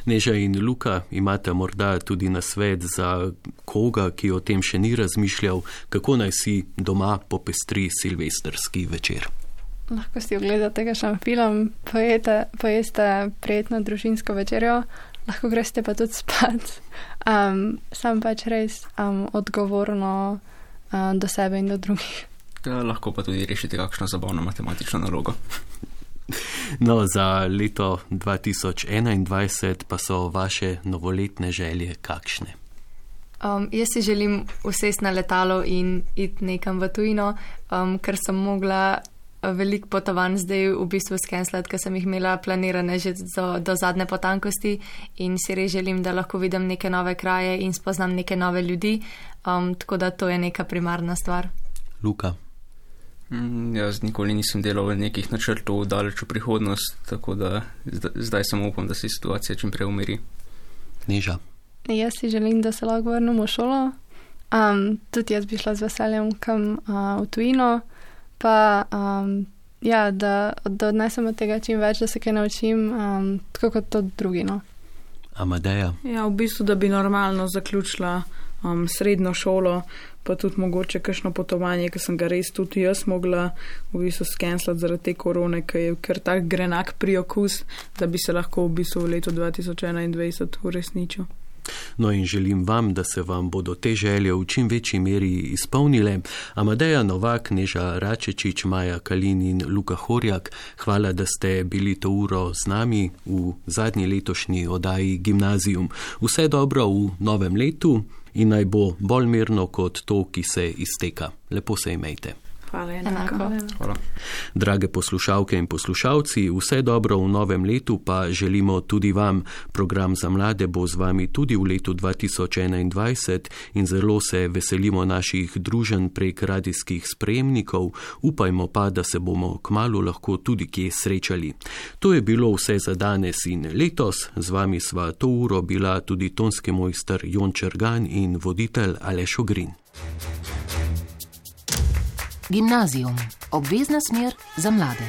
Neža in Luka, imate morda tudi nasvet za koga, ki o tem še ni razmišljal, kako naj si doma popestri silvestrski večer? Lahko si ogledate kakšen film, pojete, pojeste prijetno družinsko večerjo, lahko greste pa tudi spat. Um, sam pač res um, odgovorno um, do sebe in do drugih. Ja, lahko pa tudi rešite kakšno zabavno matematično nalogo. No, za leto dva tisoč enaindvajset pa so vaše novoletne želje kakšne? Um, jaz si želim usesti na letalo in iti nekam v tujino, um, ker sem mogla veliko potovanj zdaj v bistvu skenslati, ker sem jih imela planirane že do, do zadnje potankosti in si res želim, da lahko vidim neke nove kraje in spoznam neke nove ljudi, um, tako da to je neka primarna stvar. Luka? Mm, jaz nikoli nisem delal v nekih načrtov daleč v prihodnost, tako da zdaj, zdaj samo upam, da se situacija čim prej umiri. Neža? Jaz si želim, da se lahko vrnem v šolo. Um, tudi jaz bi šla z veseljem kam uh, v tujino. Pa, um, ja, da, da odnesem od tega čim več, da se kaj naučim, um, tako kot to drugi, no. Amadeja? Ja, v bistvu, da bi normalno zaključila um, srednjo šolo, pa tudi mogoče kakšno potovanje, ki sem ga res tudi jaz mogla v bistvu skenslati zaradi te korone, ki je kar tak grenak priokus, da bi se lahko v bistvu v letu dva tisoč enaindvajset uresničil. No in želim vam, da se vam bodo te želje v čim večji meri izpolnile. Amadeja Novak, Neža Račečič, Maja Kalin in Luka Horjak, hvala, da ste bili to uro z nami v zadnji letošnji oddaji Gimnazijum. Vse dobro v novem letu in naj bo bolj mirno kot to, ki se izteka. Lepo se imejte. Hvala, enako. Hvala. Drage poslušalke in poslušalci, vse dobro v novem letu pa želimo tudi vam. Program za mlade bo z vami tudi v letu dva tisoč enaindvajset in zelo se veselimo naših druženj prek radijskih sprejemnikov. Upajmo pa, da se bomo kmalu lahko tudi kje srečali. To je bilo vse za danes in letos. Z vami sva to uro bila tudi tonski mojster Jon Čergan in voditelj Aleš Ogrin. Gimnazijum. Obvezna smer za mlade.